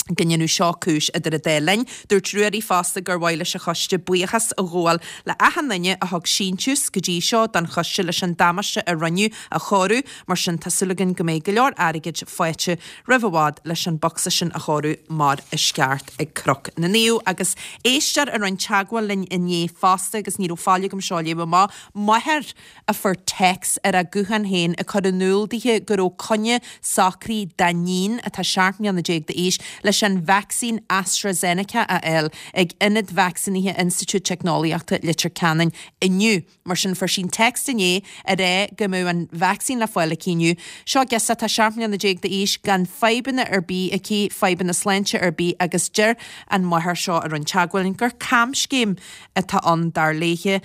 go ndéanadh seo cúis idir an dá linn. Dúirt Ruairí fosta gur mhaith leis an choiste buíochas a ghabháil le achan duine a thug síntiús go dtí seo don choiste leis an damáiste a rinneadh a chóiriú, mar sin tá súil againn go mbeidh go leor airgid faighte roimh i bhfad leis an bocsa sin a chóiriú mar is ceart ag Cnoc na Naomh. Agus éisteoir a rinne teagmháil linn inné fosta agus ní raibh fáil agam seo a léamh amach, máthair a fuair téacs ar a guthán féin ag cur in iúl dithe go raibh coinne socraithe dá níon atá seacht mbliana déag d'aois leis an vacsaín AstraZeneca a fháil ag ionad vacsaínithe Institiúid Teicneolaíochta Leitir Ceanainn inniu. Mar sin fuair sí an téacs inné ag rá go mbeadh an vacsaín le fáil aici inniu. Seo girseach atá seacht mbliana déag d'aois gan fadhbanna ar bith aici, fadhbanna sláinte ar bith agus deir an mháthair seo a rinne teagmháil linn gur camscéim atá ann dar léithe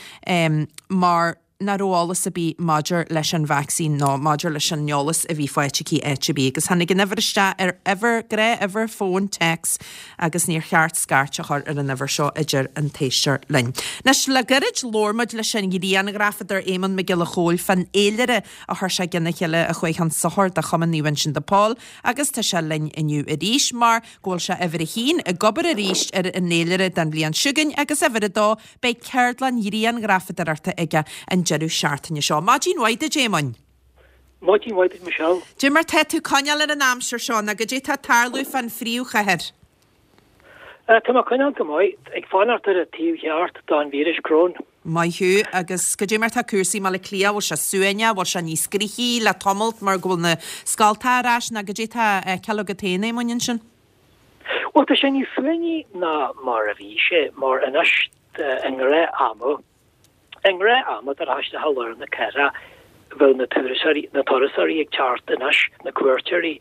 mar nach raibh eolas ar bith maidir leis an vacsaín nó maidir leis an eolas a bhí faighte aici áit ar bith. Agus tháinig an uimhir isteach ar uimhir, gnáth-uimhir fóin téacs agus níor cheart scairt a chur ar an uimhir seo a deir an t-éisteoir linn. Anois, le gairid labhair muid leis an ghrianghrafadóir Éamonn Mac Giolla Chóill fán fhéilire a chuir sé i gcionn a chéile a chuaigh chun sochair do Chumann Naomh Uinseann de Pól agus tá sé linn inniu arís mar go bhfuil sé uimhir a haon ag obair arís ar an fhéilire don bhliain seo chugainn agus uimhir a dó Beidh ceardlann ghrianghrafadóireachta aige an deireadh seachtaine seo. Maidin mhaith duit, Éamoinn. Maidin mhaith duit, Michelle. Dé mar tá tú coinneáil ar an aimsir seo, nó goidé tá ag tarlú fán phríomhchathair? Tá mé coinneáil go maith, ag fanacht ar an taobh cheart don víreas corona. Maith thú. Agus goidé mar tá cúrsaí i mBaile Átha Cliath, bhfuil sé suaimhneach, bhfuil sé níos gnoithí le tamalt mar go bhfuil na scoltacha ar ais, nó goidé tá á fheiceáil agat féin, Éamoinn, ansin? Bhuel, tá sé níos suaimhní ná mar a bhí sé, mar anois i ngnáth-ama, i ngnáth-ama dá rachfá isteach i lár na cathrach, bheadh na turasóirí, na turasóirí ag teacht anois, na cuairteoirí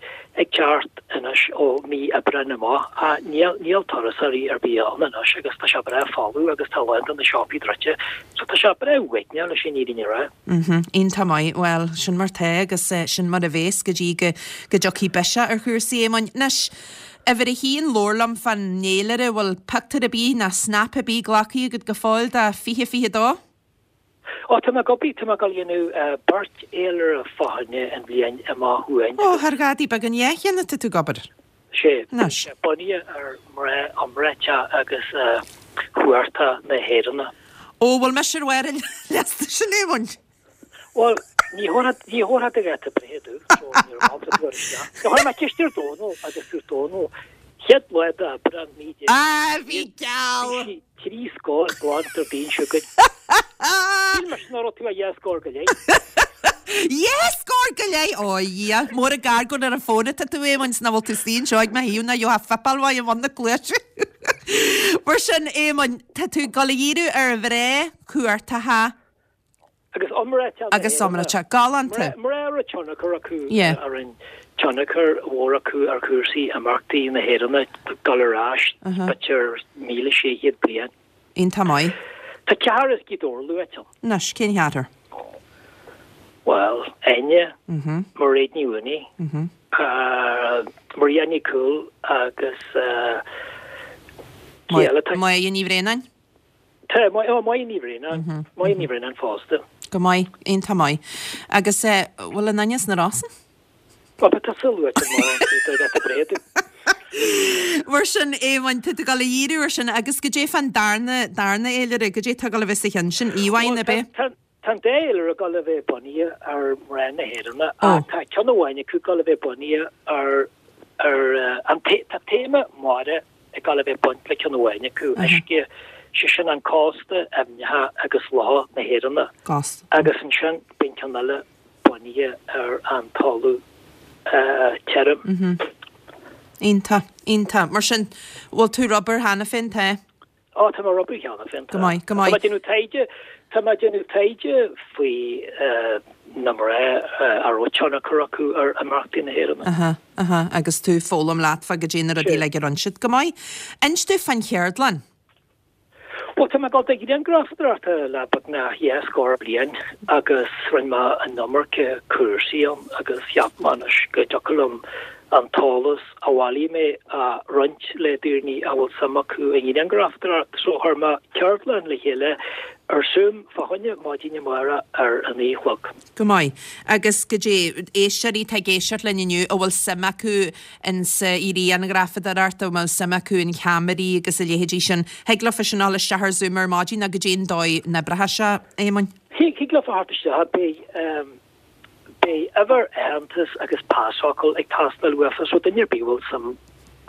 ag teacht anois ó mí Aibreáin amach, ach níl, níl turasóirí ar bith ann anois agus tá sé breá folamh agus tá a lán de na siopaí druidte, so tá sé breá uaigneach leis an fhírinne a rá. Mhm, iontach maith. Bhuel, sin mar tá agus sin mar a bhéas go dtí go go dtiocfaidh biseach ar chúrsaí, Éamoinn. Anois, uimhir a haon, labhair liom fán fhéilire, bhfuil pictiúr ar bith ná snap ar bith glactha agat go fóill do fiche fiche dó? Ó, tá mé ag obair, tá mé ag dul a dhéanamh beirt fhéilire fá choinne an bhliain amach chugainn Ó, thar ghadaí beag an dhá cheann atá tú ag obair. Sé, Anois. bunaithe ar mná iomráiteacha agus chuarta na hÉireann. Ó, bhfuil mise ar bharr an liosta sin, Éamoinn? Bhuel, ní thabharfá do dháta breithe domh, so níor mhaith liom cur isteach. Do chuir mé ceist ar Dónal agus dúirt Dónal, chéad lá d'Aibreán naoi déag Ah, bhí geall! Bhí sí trí scór glan Déardaoin seo chugainn. Shíl mise nach raibh tú ach dhá scór go leith. Dhá scór go leith! Ó, a Dhia, mór an gar gur ar an bhfón atá tú, Éamoinn, 's nach bhfuil tú istigh anseo ag mo thaobh ná gheofá fuipeáil mhaith i mbun na cluaise. Mar sin, Éamoinn, tá tú ag dul a dhíriú ar mhná cuartacha, Agus iomráiteacha na Agus iomráiteacha. Galánta. Mná a raibh tionchar acu ar an tionchar mhór acu ar chúrsaí imeachtaí na hÉireann ag dul ar ais b'fhéidir míle sé chéad bliain. Iontach maith. Tá ceathrar as Gaoth Dobhair luaite ann. Anois, cén cheathrar? Bhuel, Áine, Mairéad Ní Mhaonaigh, Maria Nic Cumhaill agus Cé eile tá? Máire Ní Bhraonáin? Tá, Máire Ní Bhraonáin, Máire Ní Bhraonáin fosta. Go maith, iontach maith. Agus bhfuil an Áine as na Rosann? Bhuel, tá tusa luaite mar do dháta breithe. Mar sin, Éamoinn, tá tú ag dul a dhíriú ar sin agus goidé fán darna, darna fhéilire, goidé tá ag dul a bheith sa cheann sin, íomhánna, ab é? Tá an dá fhéilire ag dul a bheith bunaithe ar mná na hÉireann ach tá ceann amháin acu ag dul a bheith bunaithe ar, ar an, tá téama mara ag dul a bheith baint le ceann amháin acu, uisce, sé sin an cósta, aibhneacha agus locha na hÉireann. Agus ansin beidh an ceann eile bunaithe ar an talamh tirim. Iontach, iontach. Mar sin, bhfuil tú ar obair cheana féin, tá? Ó, tá mé ar obair cheana féin, tá. Go maith, go maith. Tá mé ag déanamh taighde, tá mé ag déanamh taighde faoi na mná a raibh tionchar acu ar imeachtaí na hÉireann. Aha, aha, agus tú ag foghlaim leat fá goidé na rudaí uilig a rinne siad. Go maith. Inis domh fán cheardlann. Bhuel, tá mé ag dul do ghrianghrafadóireacht le beagnach dhá scór bliain agus rinne mé an iomarca cúrsaí ann agus cheap mé anois go dtiocfadh liom an t-eolas a bhailigh mé a roinnt le daoine a bhfuil suim acu i ngrianghrafadóireacht. So chuir mé ceardlann le chéile ar Zoom fá choinne maidin amárach ar a naoi a chlog. Go maith. Agus goidé, éisteoirí atá ag éisteacht linn inniu a bhfuil suim acu in sa ghrianghrafadóireacht, a bhfuil suim acu in cheamaraí agus a leithéidí sin, thig leofa sin a dhul isteach ar Zoom ar maidin nó goidé an dóigh a n-oibreoidh sé, a Éamoinn? Thig leofa theacht isteach, beidh beidh uimhir aitheantais agus pasfhocal ag teastáil uafa so duine ar bith a bhfuil suim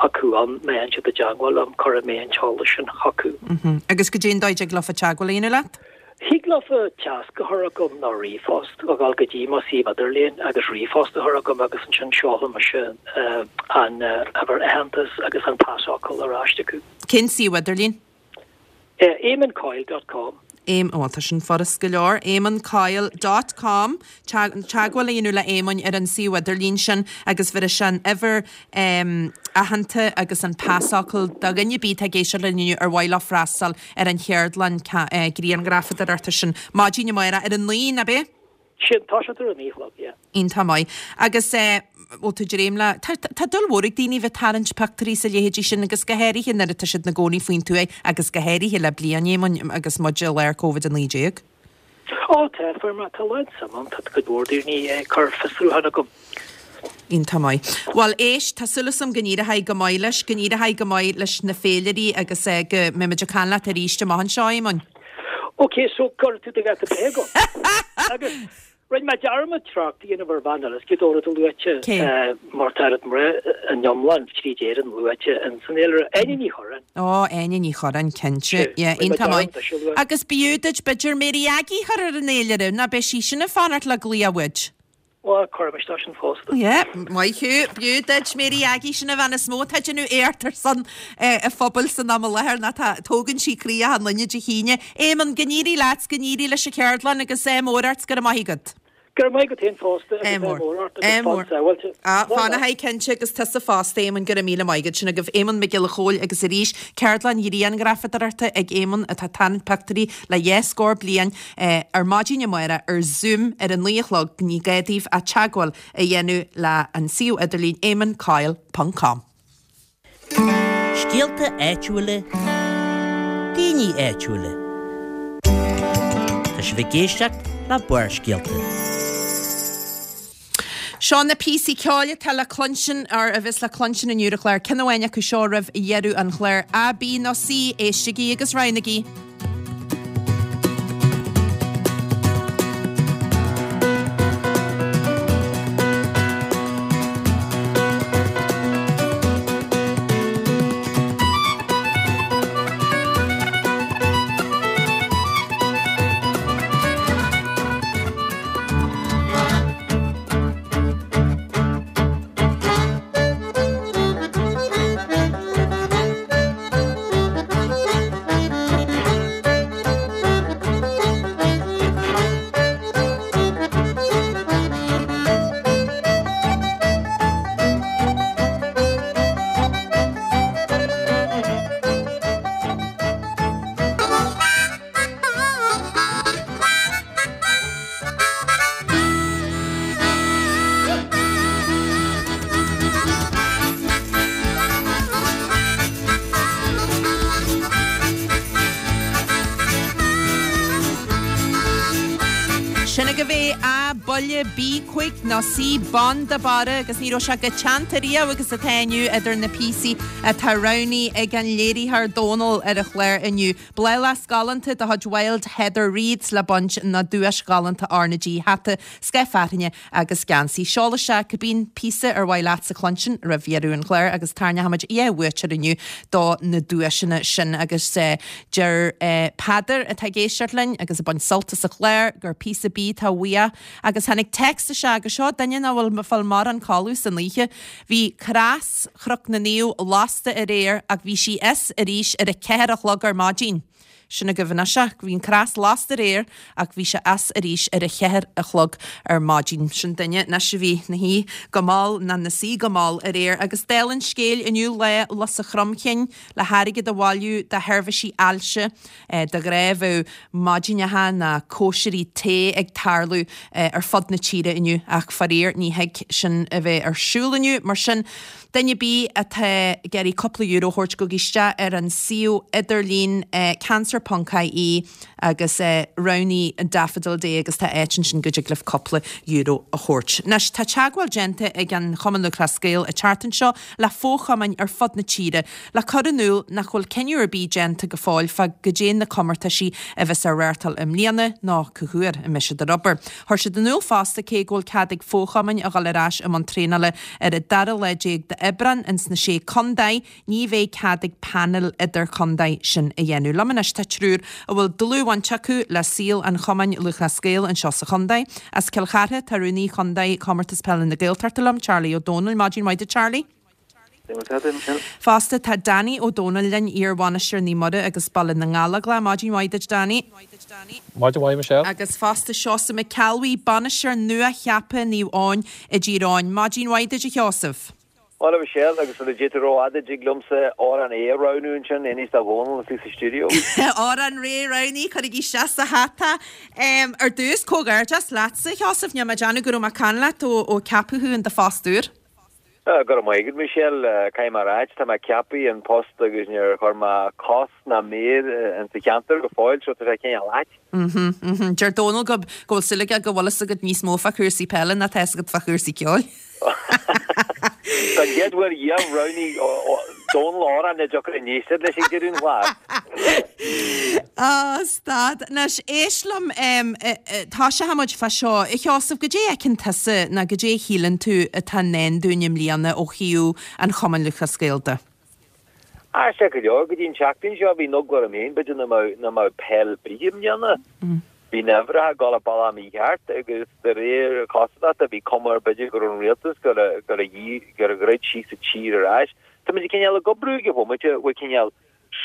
acu ann, má théann siad i dteagmháil liom, cuirfidh mé an t-eolas sin chucu. Agus goidé an dóigh a dtig leofa teagmháil a dhéanamh leat? Thig leofa téacs a chur chugam nó ríomhphost, a dhul go dtí mo suíomh idirlíon agus ríomhphost a chur chugam agus ansin seolfaidh mise an uimhir aitheantais agus an pasfhocal ar ais chucu. Cén suíomh idirlín? Eamon Coyle dot com. Éam, bhuel tá sin furast go leor, Eamon Coyle dot com, teagmháil a dhéanamh le Éamonn ar an suíomh idirlín sin agus bhéarfaidh sé an uimhir aitheanta agus an pasfhocal do dhuine ar bith atá ag éisteacht linn inniu ar mhaith leo freastal ar an cheardlann grianghrafadóireachta sin maidin amárach ar a naoi, ab é? Sin, tá sé ar a naoi a chlog, yeah. Iontach maith. Agus eh, bhfuil tú dréim le, tá, tá dúil mhór ag daoine bheith tarraingt pictiúirí is a leithéidí sin agus go háirithe nuair atá siad ina gcónaí faoin tuaith agus go háirithe le bliain, Éamoinn, agus muid i lár Covid a naoi déag. Ó, tá, fuair mé, tá a lán suim ann, tá cuid mhór daoine ag cur fiosrúchán chugam. Iontach maith. Bhuel, éist, tá súil agam go n-éireoidh go maith leis, go n-éireoidh go maith leis na féilirí agus eh, go mbeimid ag caint leat arís amach anseo, Éamoinn. Ok, so cuirfidh tú do dháta breithe agam. Agus rinne mé dearmad trácht a dhéanamh ar bhean eile, is cé dó rud a luaite Cé? mar tá oiread mná in iomlán tríd Éirinn luaite in san fhéilire, Áine Ní Churráin. Ó, Áine Ní Churráin, cinnte. Sea, Yeah, rinne mé iontach maith. dearmad ise a lua. Agus b'fhiú duit b'fhéidir Mary Aggie a chur ar an fhéilire, ná beidh sí sin ag fanacht le glaoch uait? Bhuel, cuirfidh mé isteach sin fosta. Yeah, maith thú. B'fhiú duit Mary Aggie, sin an bhean is mó atá ag déanamh éacht ar son a phobail san am i láthair, ná tá, tógann sí croí achan duine Dé hAoine. Éamonn, go n-éirí leat, go n-éirí leis an cheardlann agus ádh mór ort, go raibh maith agat. Go raibh maith agat féin fosta agus ádh mór ort agus fan sábháilte. Ah, fan a haghaidh cinnte agus tusa fosta, Éamonn, go raibh míle maith agat. Sin agaibh Éamonn Mac Giolla Chóill agus arís ceardlann ghrianghrafadóireachta ag Éamonn atá ag tarraingt pictiúirí le dhá scór bliain ar maidin amárach ar Zoom ar a naoi a chlog. Ní gá daoibh ach teagmháil a dhéanamh le an suíomh idirlín eamoncoyle ponc com. Scéalta áitiúla, daoine áitiúla. Tá sibh ag éisteacht le Barrscéalta. Seo na píosaí ceoil atá le cluinstin, or a bheas le cluinstin inniu ar an chlár. Ceann amháin acu seo roimh dheireadh an chláir. A, B nó C, éistigí agus roghnaigí. agaibh é? A, Buille, B, Cuig nó C, Bonn de Barra agus ní raibh sé chomh teannta riamh agus atá inniu idir na píosaí atá roghnaithe ag an léiritheoir Dónal ar an chlár inniu. Bláthfhleasc galánta de chuid Wild Heather Reeds le baint nó duais ghalánta R na G, hata, scáth fearthainne agus geansaí. Seol isteach cibé píosa ar mhaith leatsa cluinstin roimh dheireadh an chláir agus tarraingeoidh muid dhá bhuaiteoir inniu do na duaiseanna sin agus deir Peadar atá ag éisteacht linn agus ag baint sult as an chlár gur píosa B atá uaidh agus tháinig téacs isteach agus seo duine nach bhfuil fáil mórán codladh san oíche. Bhí cras Chnoc na Naomh lasta aréir ach bhí sí as arís ar a ceathair a chlog ar maidin. Sin agaibh anois é. Bhí an cras lasta aréir ach bhí sé as arís ar a cheathair a chlog ar maidin. Sin duine anois a bhí 'na shuí go mall nó 'na suí go mall aréir agus dála an scéil inniu lá lus an chromchinn le hairgead a bhailiú do sheirbhísí ailse. De ghnáth bheadh maidineacha nó cóisirí tae ag tarlú ar fud na tíre inniu ach faraor ní thig sin a bheith ar siúl inniu. Mar sin, duine ar bith atá ag iarraidh cúpla euro a thabhairt gabhaigí isteach ar an suíomh idirlín cancer ponc ie agus roghnaigh an Daffodil Day agus tá áit ansin go dtig libh cúpla euro a thabhairt. Anois, tá teagmháil déanta ag an Chumann Lúthchleas Gael an tseachtain seo le fochumainn ar fud na tíre le cur in iúl nach bhfuil cinneadh ar bith déanta go fóill fá goidé na comórtaisí a bheas á reáchtáil i mbliana ná cá huair a mbeidh siad ar obair. Chuir siad in iúl fosta cé go bhfuil cead ag fochumainn a dhul ar ais i mbun traenála ar an dara lá déag d'Aibreán ins na Sé Contae, ní bheidh cead ag painéil idirchontae sin a dhéanamh. Liom anois tá triúr a bhfuil dlúthbhaint acu le saol an Chumainn Lúthchleas Gael anseo sa chontae. As Cill Chartha tá Rúnaí Chontae Chomórtas Peile na Gaeltachta liom, Charlie Ó Dónaill. Maidin mhaith duit Charlie. Fosta tá Danny Ó Dónaill linn, iar-bhainisteoir Naomh Muire agus Baile na nGallóglach. Maidin mhaith duit Danny. Maidin mhaith Michelle. Agus fosta Seosamh Mac Ceallbhuí, bainisteoir nua-cheaptha Naomh Eoin i dTír Eoghain. Maidin mhaith duit a Sheosaimh. Bhuel, a Mhichelle, agus sula dtéann tú rófhada, dtig liomsa amhrán A a roghnú ansin, inis do Dhónall is í sa stiúideo. Amhrán A roghnaithe, cuirigí isteach sa hata. Ar dtús, comhghairdeas leatsa, a Sheosaimh, níl mé ag déanamh go raibh mé ag caint leat ó ó ceapadh thú in do phost úr. Go raibh maith agat, Michelle. Caithfidh mé a ráit, tá mé ceaptha in post agus níor chuir mé cos ná méar insa cheantar go fóill, so tá sé cineál ait. Mhm, mhm. Deir Dónal go go bhfuil súil aige go bhfuil fhios agat níos mó fá chúrsaí peile ná tá fhios agat fá chúrsaí ceoil. Don gcéad uair riamh roghnaigh Dónal amhrán nach dtiocfadh in éisteacht leis ag deireadh an chláir. Á, stad. Anois, éist liom, tosóidh muid fá seo. A Sheosaimh, goidé a fheiceann tusa nó goidé a shíleann tú atá i ndán dúinn i mbliana ó thaobh an Chumainn Lúthchleas Gael de? Aisteach go leor, go dtí an tseachtain seo bhí an eagla orm féin b'fhéidir nach mbeadh nach mbeadh peil ar bith i mbliana. Bhí na huimhreacha ag dul an bealach mícheart agus de réir cosúlachta bhí cuma air b'fhéidir go raibh an rialtas ag dul ag dul ag dul a dhruid síos an tír ar ais. Tá muid cineál ag oibriú ag an bhomaite, bhfuil cineál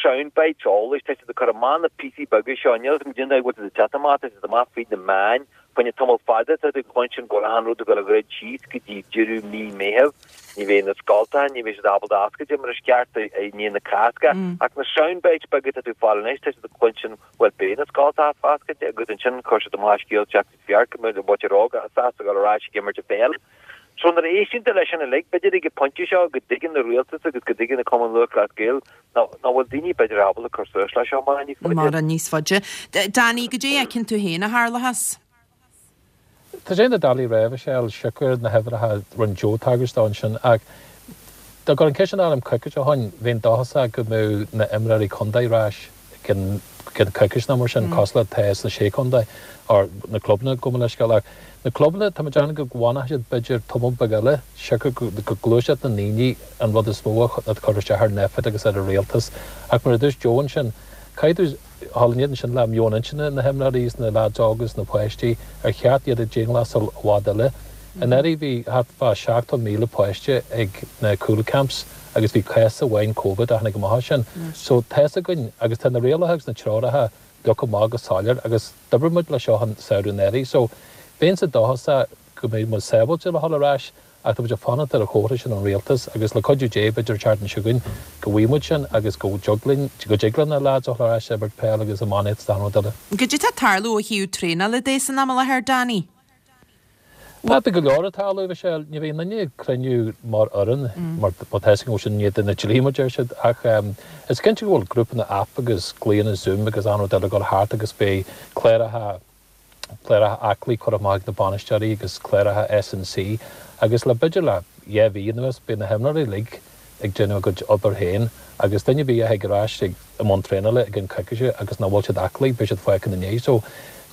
sound bites eolais, tá siad ag cur amach na píosaí beaga seo, níl a fhios agam cén dóigh a bhfuil siad ag teacht amach, tá siad amach fríd na meáin, fá choinne tamall fada tá tú ag cluinstin go bhfuil achan rud ag dul a dhruid síos go dtí deireadh mí Meitheamh, ní bheidh na scoltacha, ní bheidh siad ábalta oscailte mar is ceart i ndiaidh na Cásca, ach na sound bites beaga atá tú ag fáil anois, tá siad ag cluinstin bhuel beidh na scoltacha oscailte agus ansin chuir siad amach scéal seachtain fearr go mbeidh an mhuintir óg sásta dul ar ais ag imirt an pheil. So nuair a éisteann tú leis sin uilig, b'fhéidir ag an pointe seo go dtuigeann an rialtas agus go dtuigeann an Cumann Lúthchleas Gael nach bhfuil daoine b'fhéidir ábalta cur suas leis seo mórán níos faide. Mórán níos faide. Danny, goidé a fheiceann tú féin a tharlóchas? Tá sé doiligh a rá, Michelle, siocair na huimhreacha a rinne Joe tagairt dó ansin ach dá gcuirfinn an ceist sin orm coicís ó shoin, bheinn dóchasach go mbeadh na imreoirí contae ar ais i gcionn coicís nó mar sin, cosúil le atá sna Sé Chontae, or na clubanna, gabh mo leithscéal, ach na clubanna, tá mé ag déanamh go bhfanfaidh siad b'fhéidir tamall beag eile, siocair go gluaiseacht na ndaoine an rud is mó atá curtha isteach ar an Nphet agus ar an rialtas. Ach mar a dúirt Joe ansin, caithfidh tú dhul in éadan sin le meon intinne na himreoirí is na leaids óga is na páistí, ar cheart iad a dianghlasáil i bhfad eile. Anuraidh bhí thart fá seachtó míle páiste ag na cúl camps agus bhí cás amháin Covid a tháinig amach as sin. So tá's againn agus tá na rialacha agus na treoracha leagtha amach go soiléir agus d'oibrigh muid le seo an samhradh anuraidh. So bheinnse dóchasach go mbeidh muid sábháilte le dhul ar ais ach tá muid ag fanacht ar an chomhartha sin ón rialtas agus le cuidiú Dé b'fhéidir an tseachtain seo chugainn go bhfaighidh muid sin agus go dtig linn, go dtig le na lads a dhul ar ais ag imirt peil agus iománaíocht is achan rud eile. Goidé tá ag tarlú ó thaobh traenála de san am i láthair, Danny? Bhuel, tá go leor ag tarlú, Michelle. Ní bheidh aon duine ag cruinniú mar fhoireann, mar tá a fhios againn go bhfuil sin in éadan an dlí, mar deir siad, ach is cinnte go bhfuil grúpanna app agus glaonna Zoom agus achan rud eile ag dul thart agus beidh cláracha Cláracha aclaí curtha amach ag na bainisteoirí agus cláracha S and C agus le b'fhéidir le dhá mhí anuas beidh na himreoirí uilig ag déanamh a gcuid obair féin agus duine ar bith a thig ar ais ag i mbun traenála i gceann coicíse agus nach bhfuil siad aclaí beidh siad fágtha ina ndiaidh. So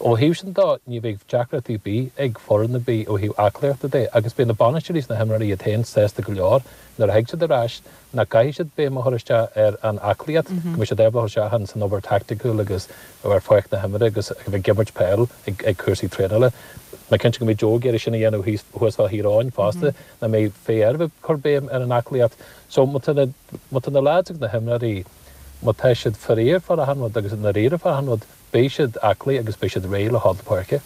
ó thaobh sin de ní bheidh deacrachtaí ar bith ag foireann ar bith ó thaobh aclaíochta de agus beidh na bainisteoirí is na himreoirí iad féin sásta go leor nuair a thig siad ar ais nach gcaithfidh siad béim a chur isteach ar an aclaíocht, go mbeidh siad ábalta chur isteach san obair taicticiúil agus ar pháirc na himeartha agus a bheith ag imirt peil ag ag cúrsaí traenála. Mé cinnte go mbeidh Joe ag iarraidh sin a dhéanamh thíos thuas fá Thír Eoghain fosta, nach mbeidh féith air a bheith ag cur béim ar an aclaíocht. So má tá na má tá na lads agus na himreoirí, má tá siad faraor fá achan rud agus i ndáiríre fá achan rud, beidh siad aclaí agus beidh siad réidh le dhul na páirce.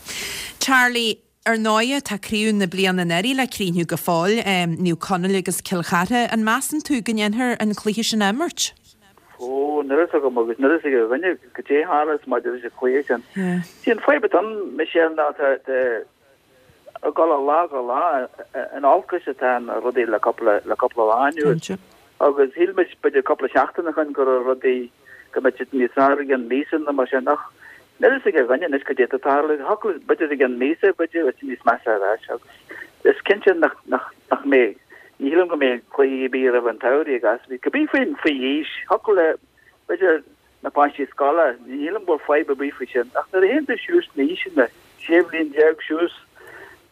Charlie, Ar ndóighe, tá craobh na bliana anuraidh le críochnú go fóill, Naomh Conaill agus Cill Chartha. An measann tú go ndéanfar an cluiche sin a imirt? Ó, níl a fhios agam agus níl a fhios ag aon duine goidé a tharlós maidir leis an chluiche sin. Sí an fadhb atá ann, Michelle, ná tá ag dul ó lá go lá in olcas atá na rudaí le cúpla le cúpla lá anuas. Agus shíl muid b'fhéidir cúpla seachtain ó shin go raibh rudaí, go mbeadh siad níos fearr i gceann míosa nó mar sin ach níl a fhios ag aon duine anois cad é atá ag tarlú. Thiocfadh, b'fhéidir i gceann míosa, b'fhéidir, beidh sé níos measa ar ais agus is cinnte nach, nach, nach mbeidh, ní shílim go mbeidh cluiche ar bith roimh an tsamhradh ag as, cibé faoin, faoi aois, thiocfadh le, b'fhéidir, na páistí scoile, ní shílim go bhfuil fadhb ar bith faoi sin ach nuair a théann tú suas sna haoiseanna, sé bhliain déag suas,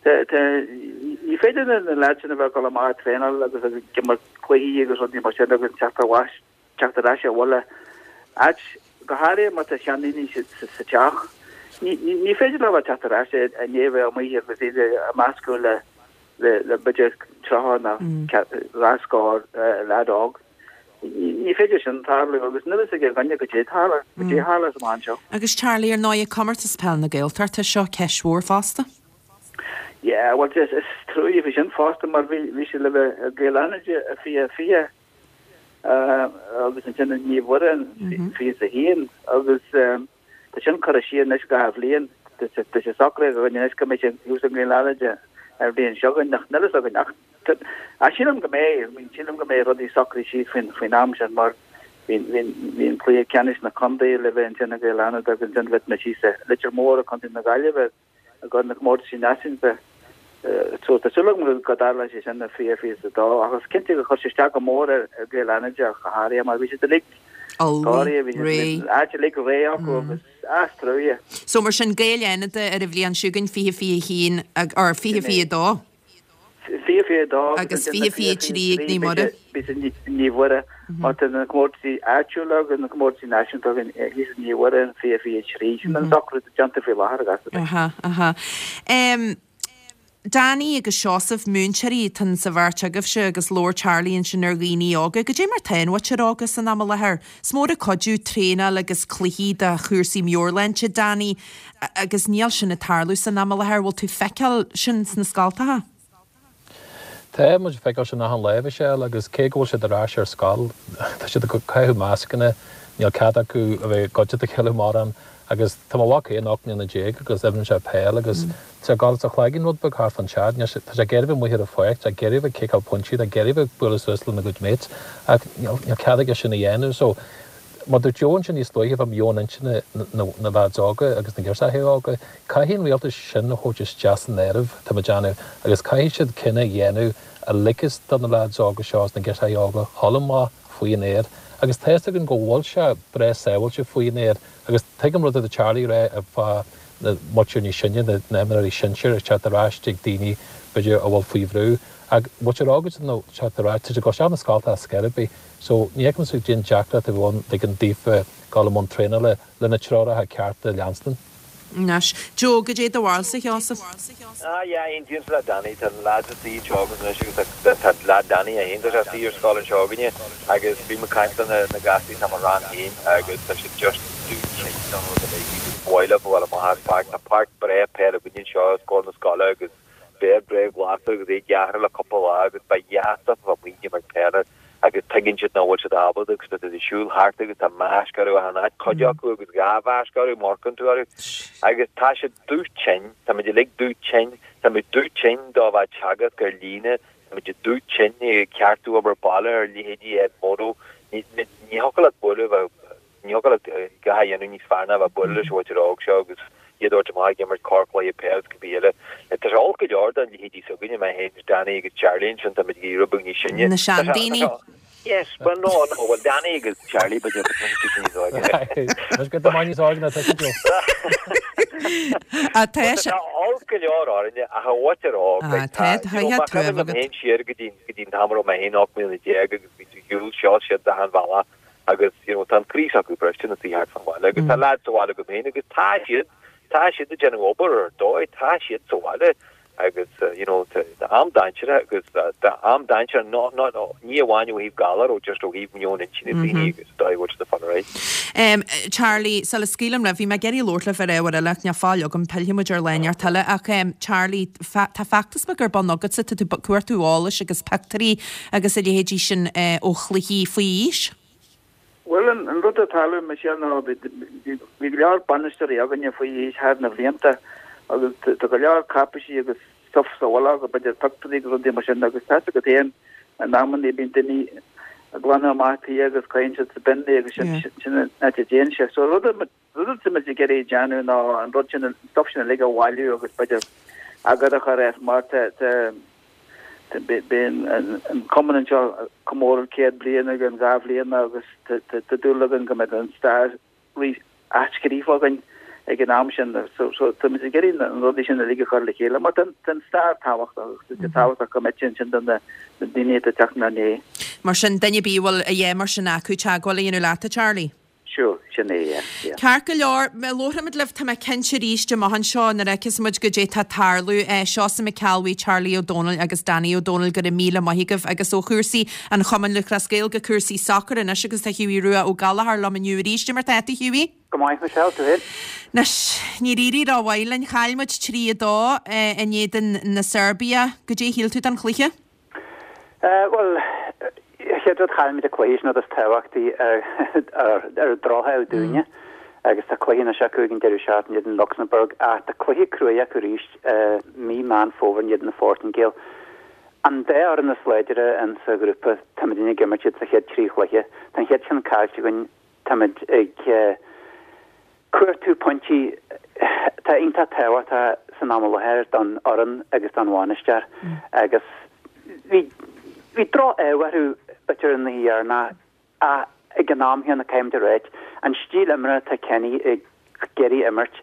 Ní féidir le na leaids sin a bheith ag dul amach ag traenáil agus ag imirt cluichí agus rudaí mar sin agus teacht ar ais teacht ar ais abhaile, áit, go háirithe má tá seandaoine sa teach. Ní ní féidir leo a bheith ag teacht ar ais i ndiaidh a bheith amuigh agus iad ag meascadh le le le b'fhéidir tríocha nó dhá scór leaid óg. Ní féidir sin tarlú agus níl a fhios ag aon duine goidé tarla, goidé a tharlós amach anseo. Agus Charlie, ar ndóigh, comórtas peil na Gaeltachta, seo ceist mhór fosta. Yeah, bhuel is is trua faoi sin fosta mar bhí bhí sé le bheith i gCill Fhánada i fiche fiche agus ansin i Naomh Mhuire in fiche is a haon agus tá sin curtha siar anois dhá bhliain. Tá sé socraithe againn anois go mbeidh sé thuas i gCill Fhánada an bhliain seo chugainn ach níl a fhios againn ach ach sílim go mbeidh, I mean sílim go mbeidh rudaí socraithe síos faoin faoin am sin mar bhí bhí bhí an cluiche ceannais na contae le bheith ansin i gCill Fhánada agus ansin bheadh muid thíos i Leitir Móir i gContae na Gaillimhe i gcomhair na comórtaisí náisiúnta. So tá súil agam go dtarlóidh sé sin i fiche fiche is a dó ach is cinnte gur chuir sé isteach go mór ar Ghaeil Fhánada ach go háirithe mar bhí siad uilig Ullmhaithe, réidh. Áit uilig réidh acu agus as trua. So mar sin Gaeil Fhánada ar an bhliain seo chugainn, fiche fiche haon or fiche fiche dó. Fiche fiche dó agus fiche fiche trí ag Naomh Muire. Beidh sé i Naomh Mhuire mar tá na comórtaisí áitiúla agus na comórtaisí náisiúnta againn thíos i Naomh Mhuire in fiche fiche trí. Sin an socrú atá déanta faoi láthair agus. Aha, aha. Danny agus Seosamh, múinteoirí atá sa bheirt agaibhse agus labhair Charlie ansin ar dhaoine óga. Goidé mar tá an mhuintir óga san am i láthair? Is mór an cuidiú traenáil agus cluichí do chúrsaí meabhairshláinte, Danny, agus níl sin ag tarlú san am i láthair. Bhfuil tú ag feiceáil sin sna scoltacha? Tá muid ag feiceáil sin achan lá, a Mhichelle, agus cé go bhfuil siad ar ais ar scoil, tá siad ag caitheamh mascanna, níl cead acu a bheith i gcuideachta a chéile mórán. Agus tá mo mhac féin ocht mbliana déag agus imríonn sé peil agus tá sé ag dul as a chloigeann rud beag thart fán teach. Níl sé, tá sé ag iarraidh a bheith amuigh ar an pháirc, tá sé ag iarraidh a bheith ag ciceáil pointí, tá ag iarraidh a bheith ag bualadh suas lena gcuid mates ach níl, níl cead aige sin a dhéanamh. So, mar dúirt Joe ansin níos luaithe fá mheon intinne na, na leaids óga agus na girseachaí óga, caithfidh an rialtas sin a thabhairt isteach san áireamh, tá mé ag déanamh, agus caithfidh siad cinneadh a dhéanamh a ligfeas do na leaids óga seo agus na girseachaí óga dhul amach faoi an aer agus tá fhios againn go bhfuil sé breá sábháilte faoi an aer agus tuigim rud atá Charlie a rá fá na muintir níos sine, na himreoirí sinsir ag teacht ar ais chuig daoine b'fhéidir a bhfuil faoi bhrú ach muintir óg ag teacht ar ais, tá siad ag dul isteach na scoltacha ar scor ar bith so ní fheicimse goidé an deacracht a bheadh ann ligean daofa dul i mbun traenála le na treoracha cearta a leanstan. Anois, Joe, goidé do bharúilsa, a Sheosaimh? Ah yeah, aontaímse le Danny, tá na lads istigh anseo againn anois agus tá tá lad Danny é féin, tá sé istigh ar scoil anseo againne agus bím ag caint le na na gasúir atá i mo rang féin agus tá siad just dubh tinn don rud uilig agus ba mhaith leo a bheith amuigh ar pháirc, tá páirc breá peile againne anseo os comhair na scoile agus féar breá glas agus é gearrtha le cúpla lá agus ba dheas dóibh a bheith amuigh ag imirt peile agus tuigeann siad nach bhfuil siad ábalta agus tá siad ag siúl thart agus tá maisc orthu achan áit, cuid acu agus dhá mhaisc orthu, má amharcann tú orthu. Agus tá siad dubh tinn, tá muid uilig dubh tinn, tá muid dubh tinn do bheith ag teagasc ar líne, tá muid dubh tinn ag ceartú obair baile ar leithéidí Edmodo, ní thiocfadh leat bualadh, ní thiocfadh leat a dhath a dhéanamh níos fearr ná a bheith ag bualadh leis an mhuintir óg seo agus chéad uair amach ag imirt corrchluiche peil is cibé eile. Tá sé olc go leor don leithéidí s'againne, mé féin is Danny agus Charlie ansin, tá muid ag éirí beag níos sine. Na seandaoine. Yes, well no, no, well Danny agus Charlie b'fhéidir but tá siad níos óige. Muid go maith níos óige ná tusa Joe. Ah, tá sé olc go leor orainne ach a bhaint ar óg. Ah, tá, tá, tá tuaim agat. Féin siar go dtí go dtí an t-am a raibh mé féin ocht mbliana déag agus bhí tú shiúl seo siad achan bhealach agus you know tá an croí s'acu briste ina suí thart fán bhaile agus tá leaids sa bhaile agam féin agus tá siad tá siad ag déanamh obair ar dóigh, tá siad sa bhaile agus you know tá am dainséarach agus tá am dainséarach no no no ní amháin ó thaobh galar ó just ó thaobh meon intinne daoine agus dóigh a bhfuil siad ag fanacht right. Um, Charlie, sula scaoilim libh, bhí mé ag iarraidh labhairt libh ar ábhar eile ach níl fáil agam, pillfidh muid ar lá inteacht eile ach um, Charlie, tá feachtas beag ar bun agatsa, tá tú ag cuartú eolais agus pictiúirí agus a leithéidí sin uh, ó chluichí faoi aois. Bhuel, an rud a tharla Michelle ná bhí go leor bainisteoirí againne faoi aois thar na bhlianta agus tá go leor cáipéisí agus stuff sa bhaile agus b'fhéidir pictiúirí agus rudaí mar sin agus tá a fhios agat féin in amanna bíonn daoine ag glanadh amach tí agus caitheann siad sa bin é agus sin sin an áit a dtéann sé. So rud rud atá muid ag iarraidh déanamh ná an rud sin an stuff sin uilig a bhailiú agus b'fhéidir eagar a chur air mar tá tá Bíonn an cumann anseo ag comóradh céad bliain i gceann dhá bhliain agus tá dúil againn go mbeidh an stair athscríofa againn ag an am sin. So táimid ag iarraidh na rudaí sin uilig a chur le chéile mar tá an stair tábhachtach agus tá sé tábhachtach go mbeidh sé ansin do na daoine atá ag teacht inár ndiaidh. Mar sin, duine ar bith a bhfuil a dhath mar sin acu teagmháil a dhéanamh leat, a Charlie? Sure, sin é, yeah, yeah. Ceart go leor, labharfaimid libh, tá mé cinnte arís amach anseo nuair a fheicfeas muid goidé tá ag tarlú. Seosamh Mac Ceallbhuí, Charlie Ó Dónaill agus Danny Ó Dónaill, go raibh míle maith agaibh. Agus ó chúrsaí an Chumainn Lúthchleas Gael go cúrsaí sacair anois agus tá Hughie Rua Ó Gallchóir liom inniu arís. Cad é mar tá tú, Hughie? Go maith, Michelle, tú féin? Anois, níor éirigh rómhaith linn, chaill muid trí a dó in éadan na Seirbia. Goidé a shíl tú den chluiche? Bhuel, chéad rud chaill muid an cluiche, sin rud is tábhachtaí ar an drochuair dúinne agus tá cluiche anois acu ag an deireadh seachtaine in éadan Lucsamburg ach tá cluiche cruaidh acu arís mí Meán Fómhair in éadan na Phortaingéil. An dá fhoireann is láidre in sa ghrúpa, táimidne ag imirt iad sa chéad trí chluiche. Tá an chéad cheann caillte againn, táimid ag cuartú pointí atá iontach tábhachtach san am i láthair don fhoireann agus don bhainisteoir agus bhí bhí droch-ádh orthu b'fhéidir an oíche dheireanach ach ag an am chéanna caithfimid a ráit an stíl imeartha atá Kenny ag iarraidh imirt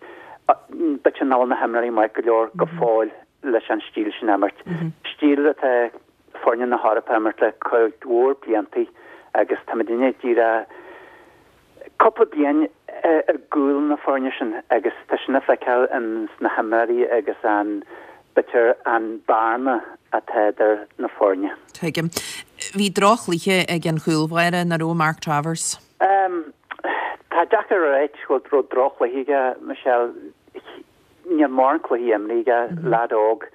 b'fhéidir nach bhfuil na himreoirí maith go leor go fóill leis an stíl sin a imirt. Stíl atá foirne na hEorpa ag imirt le cuid mhór bliantaí agus táimidne díreach cúpla bliain ar gcúl na foirne sin agus tá sin le feiceáil ins na himreoirí agus an, b'fhéidir, an bearna atá idir na foirne. Tuigim. Bhí droch-chluiche ag an chúlbháire, nach raibh, Mark Travers? Tá deacair a ráit go raibh droch-chluiche aige, Michelle. Níl mórán cluichí imrithe aige, leaid óg,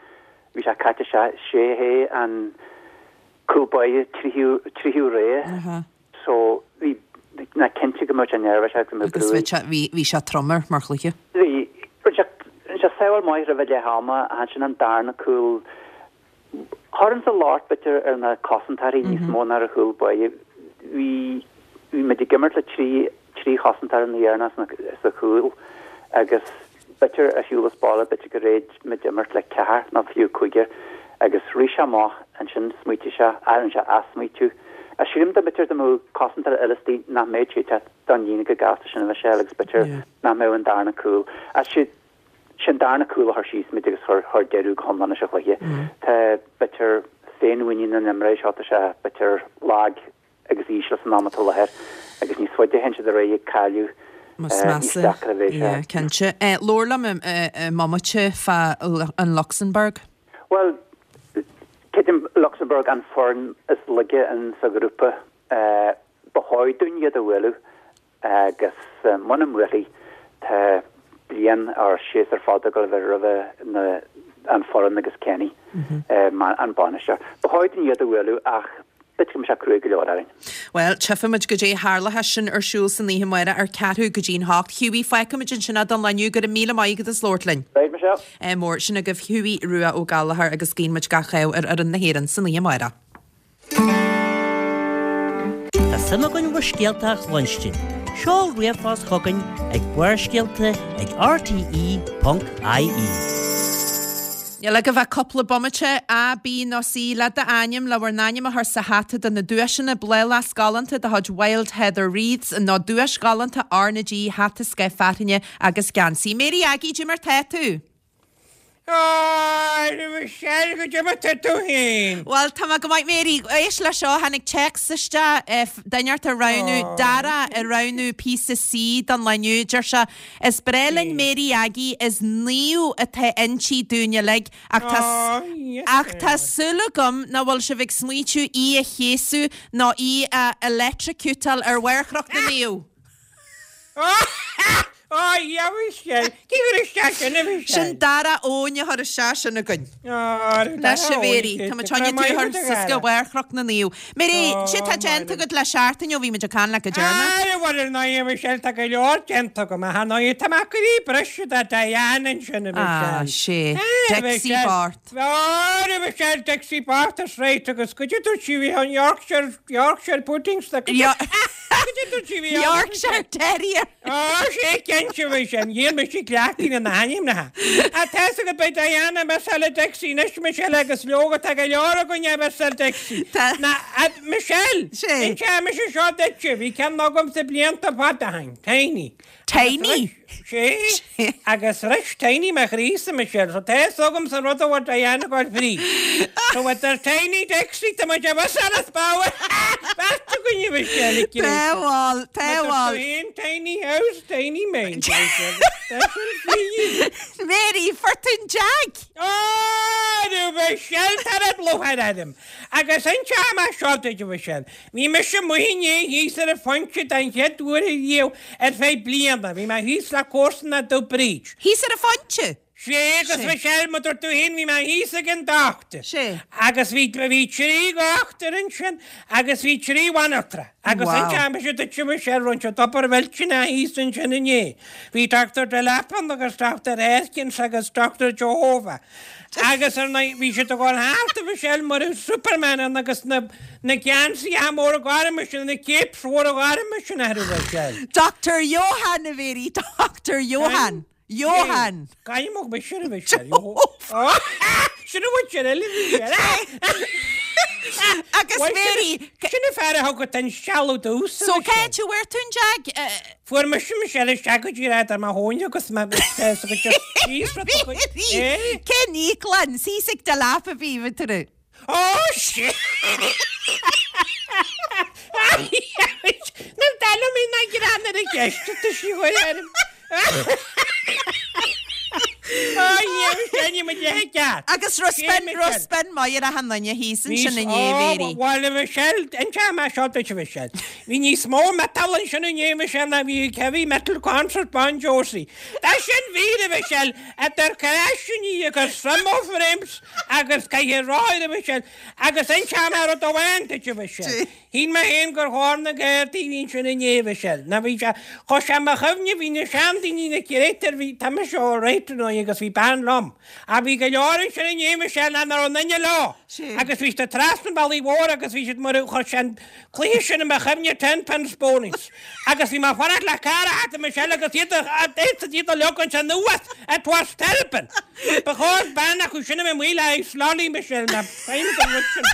bhí sé caite isteach, sé hé an cúl báire tríú rogha. So, bhí ná cinnte go mbeadh sé neirbhíseach agus go mbeadh brú. Agus bhí, bhí sé trom air mar chluiche. Bhí. Rinne sé, rinne sé sábháil maith roimh leath ama ach ansin an darna cúl, chuirfinnse an locht b'fhéidir ar na cosantóirí níos mó ná ar an chúl báire. Bhí, bhí muid ag imirt le trí, trí chosantóir an oíche dheireanach sa chúl agus b'fhéidir ar shiúl as baile, b'fhéidir gur fhéad muid imirt le ceathar nó fiú cúigear agus rith sé amach ansin, smaoitigh sé, rinne sé athsmaoitiú. Ach sílim dá b'fhéidir dá mbeadh cosantóir eile istigh nach mbeadh sé ag teacht don líne chomh gasta sin a Mhichelle agus b'fhéidir nach mbeadh an darna cúl. Ach sé an darna cúl a chuir síos muid agus chuir chuir deireadh go hiomlán leis an chluiche. Tá b'fhéidir féinmhuinín na n-imreoirí seo tá sé b'fhéidir lag agus íseal san am atá i láthair agus níos faide a théann siad ar aghaidh ag cailleadh Níos níos measa, deacra a bheidh sé. yeah, cinnte. Labhair liom i mbomaite fá an Lucsamburg. Bhuel, creidim Lucsamburg an foireann is laige in sa ghrúpa. Ba chóir dúinn iad a bhualadh agus muna mbuailfidh tá bliain or séasúr fada ag dul a bheith roimhe na an foireann agus Kenny an bainisteoir. Ba chóir dúinn iad a bhualadh ach b'fhéidir go mbeidh sé cruaidh go leor orainn. Bhuel, tchífimid goidé a tharlóchas sin ar siúl san oíche amárach ar ceathrú go dtí'n hocht. Hughie, fágfaimid ansin é don lá inniu. Go raibh míle maith agat as labhairt linn. Right, Michelle. Ádh mór. Sin agaibh Hughie Rua Ó Gallchóir agus guíonn muid gach ádh ar fhoireann na hÉireann san oíche amárach. Tá suim againn bhur scéalta a chluinstin. Seol ríomhphost chugainn ag Barrscéalta ag rte ponc ie. Níl agaibh ach cúpla bomaite, A, B nó C, le d'ainm, le bhur n-ainm a chur sa hata do na duaiseanna bláthfhleasc galánta de chuid Wild Heather Wreaths nó duais ghalánta R na G, hata scoith fearthainne agus geansaí. Mary Aggie, cad é mar tá tú? A Mhichelle, cad é mar tá tú féin. Bhuel, tá mé go maith Mary, éist le seo, tháinig téacs isteach, duine ort ag roghnú, Dara ag roghnú píosa C don lá inniu. Deir sé, Is breá linn Mary Aggie, is naomh atá inti dúinn uilig, ach tá ach tá súil agam nach bhfuil sibh ag smaoitiú í a chéasadh nó í a electrocutáil ar bharr Chnoc na Naomh. Ó, a Mhichelle. Cé chuir isteach sin, a Mhichelle? Sin Dara Eoin a chuir isteach sin againn. Anois a Mhary, tá muid chun tú a chur suas go barr Chnoc na Naomh. Mary, cad é tá déanta agat le seachtain ó bhí muid ag caint leat go deireanach? Ara, bhuel, ar ndóigh, a Mhichelle, tá go leor déanta agam, ach ar ndóigh, tá mé ag iarraidh briseadh do Diane ansin, a Mhichelle. Ah, sé. Dixie Bart. Ara, a Mhichelle, Dixie Bart is right, agus goidé dúirt sí bhí an Yorkshire, Yorkshire pudding sa. Yorkshire Terrier. Ó, sé cinnte bhí sin. Níl mise cleachtaithe na hainmneacha. Ach tá 'fhios agat beidh Diana ag missáil Dixie anois, Michelle, agus leoga tá go leor againne ag missáil Dixie. Tá. Na, Michelle! Sé. Inseoidh mise seo duitse, bhí ceann agamsa blianta fada ó shin, Tiny. Tiny? Sé. Agus bhris Tiny mo chroí-sa, Michelle, so tá 'fhios agamsa an rud a bhfuil Diana ag goil fríd. So idir Tiny, Dixie, tá muid ag missáil as ball. Beirt againne, Michelle, ag Tá bhuel, tá Tá bhuel. féin Tiny house, tiny mind. Tá sin faoi. Mary, fuair tú an jag! Ó, Michelle, tá an lúcháir orm. Agus inseoidh mé seo duit, a Mhichelle. Bhí mise amuigh inné thíos ar an Phointe den chéad uair riamh ar feadh bliana. Bhí mé thíos le comharsana domh Bríd. Thíos ar an Phointe? Sé, agus Michelle, mar dúirt tú féin, bhí mé thíos ag an dochtúir. Sé. Agus bhí, bhí trí dhochtúir ansin agus bhí trí bhanaltra. Agus Wow. inseoidh mise duit, Michelle, rinne siad obair mhillteanach thíos ansin inné. Bhí Doctor Delap ann agus Doctor Erkins agus Doctor Jehovah. Agus ar ndóigh, bhí siad ag dul thart, a Mhichelle, mar a bheadh Superman ann agus na, na geansaithe móra gorma sin, na capes mhóra gorma sin orthu, a Mhichelle. Doctor Johann, a Mhary, Doctor Johann. Johann. Caithfidh mise a Mhichelle. Sin a bhfuil sin eile, a Mhichelle. Agus Mary, Sin an fear a thug an sealbh domhsa, So Michelle. cé tú bhfuair tú an jag? Fuair mise Michelle isteach go dtí ar mo thóin agus me Mary, cén íoclann? Thíos ag do leapa bhí tú. Ó sé! Na dal mé na grean ar a gceist tá sí chuir arm. Agus raibh spin raibh spin maith ar achan duine thíos ansin inné, Mary. Bhuel, a Mhichelle, inseoidh mé seo duit, a Mhichelle. Bhí níos mó metal ansin inné, Michelle, ná bhí ag heavy metal concert Bon Jovi. Tá sin fíor, a Mhichelle, idir craiseanna agus thermo frames agus caithfidh rothair, a Mhichelle, agus inseoidh mé rud amháin duit, a Mhichelle. Shíl mé féin gur chóir na Gardaí a bhí ansin inné, a Mhichelle. Ná bhí sé, chuir sé mo chuimhne, bhí na seandaoine na créatúir, bhí, tá mise all right ar ndóigh agus bhí bean liom. Ach bhí go leor ansin inné, a Mhichelle, nach raibh aon duine leo. Agus bhí siad trasna an bhealaigh mhóir agus bhí siad mar a, chuir sé an cluiche sin i mo chuimhne, ten pence ponies. Agus bhí mé ag fanacht le carr a theacht, a Mhichelle, agus iad a, iad a leag ansin anuas, it was terrible. Ba chóir bean acu sin a bheith amuigh le haghaidh lolly, Michelle, ná feidhm don rud sin.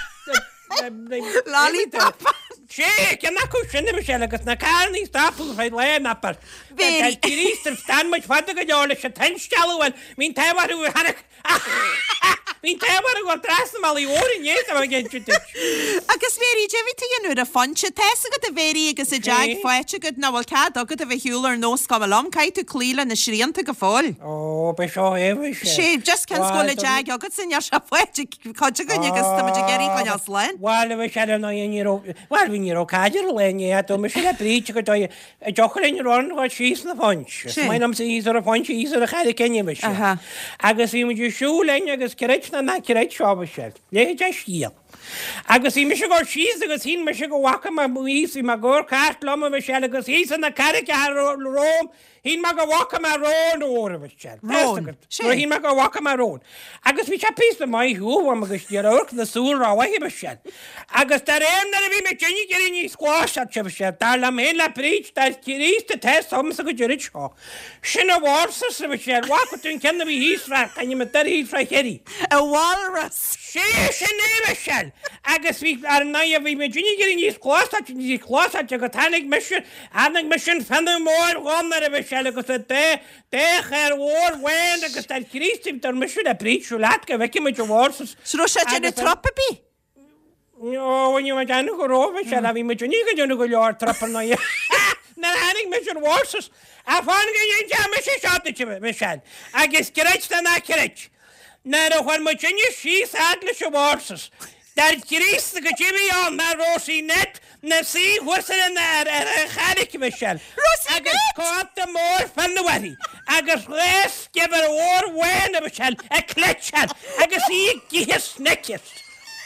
Lollipop. Sé, ceann acu sin, a Mhichelle, agus na carranna stopadh feadh lae an upper. Very. D'fhan muid fada go leor leis an t-instealladh bhuel, bhí an t-ádh orthu gur tháinig Bhí an t-ádh orthu gur trasna an bhealaigh mhóir inné tá mé ag inse duit. Agus Mary, cad é a bhí tú a dhéanamh ar an Phointe, tá 'fhios agat a Mhary agus an jag faighte agat nach bhfuil cead agat a bheith ar shiúl ar nós cuma liom, caithfidh tú cloí le na srianta go fóill. Ó, b'é seo é, bhí sé. Sé, just cionn is go bhfuil an jag agatsa, níl sé faighte ag cuid againn agus tá muid ag iarraidh coinneáil slán. Bhuel, bhí sé ar ndóigh, ní raibh, bhuel, bhí ní raibh caid ar an lae inné, ach dúirt mise le Bríd go dóigh, a dtiocfadh linn run go síos na Phointe. Is maith liomsa thíos ar an Phointe, thíos ar an Charraig Fhinn, bhí sé. Agus bhí muid ag siúl linn agus creid nó ná creid seo, bhí sé, léigh sé scéal. Agus bhí mise ag dul síos agus shíl mise go bhfaca mé thíos, bhí mé ag amharc thart liom, bhí sé, agus thíos ar na carraigeacha romham, Shíl mé go bhfaca mé rón úr, a Mhichelle. Rón? Sé. Shíl mé go bhfaca mé rón. Agus bhí sé píosa maith ar shiúl uaim agus ní raibh amharc na súl rómhaith, a Mhichelle. Agus de réir nuair a bhí mé ag éirí níos cloisteáilte, a Mhichelle, dar liom féin le Bríd, dar Críost atá fhios agamsa go deireadh seo. Sin an walrus, a Mhichelle, bhfaca tú an ceann a bhí thíos fá, c'ainm atá air thíos fá Chiarraí. A walrus! Sé sin é, a Mhichelle. Agus bhí, ar ndóigh, bhí mé ag éirí níos cloisteáilte, níos cloisteáilte agus tháinig mise, tháinig mise an fionnadh mór dhonn air, a Mhichelle, agus a dá, dá chaor mhór bhán agus dar Críost, dar mise le Bríd, siúl leat go bhfeicfidh muid an walrus. 'S raibh sé ag déanamh trup ar bith? Ó, bhain muid ann go raibh, a Mhichelle, bhí muid ag déanamh go leor trup ar ndóigh. Nuair a tháinig mise an walrus, a fan go ndéanfaidh mise seo duit, a Mhichelle, agus creid nó ná creid, nuair a chuir muid inne síos fhad leis an walrus, dar Críost go dtí bhí ann ná Rosie Ned 'na suí thuas ar an ar ar an charraig, a Mhichelle. Rosie Agus Ned! cóta mór fionnaidh uirthi, agus dhá sciobhar mhór bhán, a Mhichelle, ag cleiteáil, agus í ag ithe Snickers.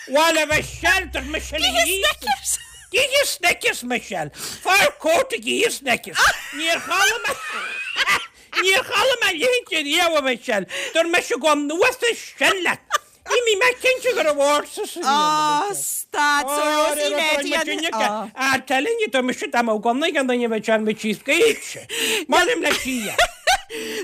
Bhuel, a Mhichelle, dúirt mise Ag léi. ithe Snickers! Ag ithe Snickers, Michelle. Fur coat ag ithe Snickers. Níor chuala mé Níor chuala mé a leithéid riamh, a Mhichelle. Dúirt mise gabh anuas as sin leat. Ní bhí mé cinnte go raibh walrus a bhí ann, a Ó, Mhichelle. stad, so Rosie Ned í an- Ó. Ah, telling you, dúirt mise dá mbeadh gunna ag an duine bheadh sé an bhí síos go héigse. Molaim le sia.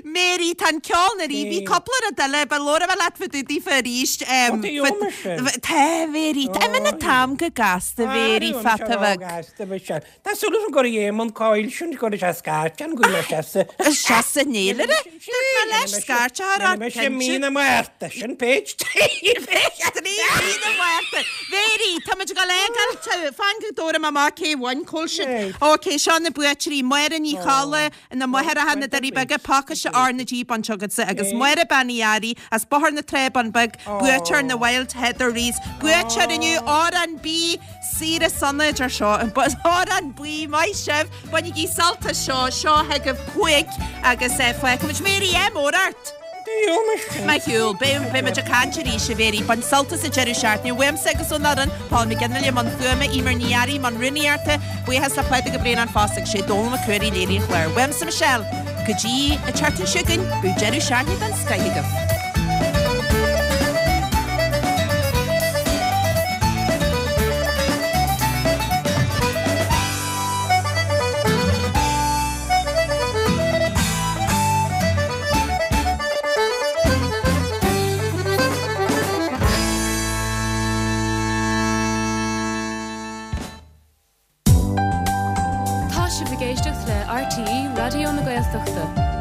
Mary, tá an ceol na rí, bhí cúpla rud eile, ba leor a bheith leat fá dtaobh daofa arís. Ó, tá eolas sin. Tá, Mary, tá imigh an t-am go gasta, Mary, fata bheag. Gasta, Michelle. Tá súil agam gur Éamonn Coyle sin, go raibh sé scairte an go raibh sé sa. Seasa néilire? Dúirt mé leis scairte a rá, Mise mí na Márta, sin page trí. Page trí mí na Márta. Mary, tá muid ag dul a fhágáil, fan go dtabharfaidh mé amach cé bhain cúl sin. Ok, seo na buaiteoirí, Máire Ní Cholla, na Máithreacha na Doirí Beaga, pacáiste R na G bainte agatsa agus Máire Bean Uí Fhearraigh as Bóthar na Trá Bun Beag, buaiteoir na Wild Heather Wreaths, buaiteoir inniu Órán Bí, saoire sona idir seo, Órán Buí, maith sibh, bainigí sult as seo, seo chugaibh cúig agus fágfaimid Mary ádh mór ort. Maith thú, beidh muid ag caint arís a Mhary, bain sult as an deireadh seachtaine, uaimse agus ón fhoireann, Paul McGinley i mbun fuaime, Emer Ní Fhearraigh i mbun rúnaíochta, buíochas le Pádraig Ó Braonáin fosta agus sé Dónal Mac Ruairí a léirigh an clár. Uaimse Michelle, go dtí an tseachtain seo chugainn, bíodh deireadh seachtaine den scoith agaibh. Tá sibh ag éisteacht le RTÉ Raidió na Gaeltachta.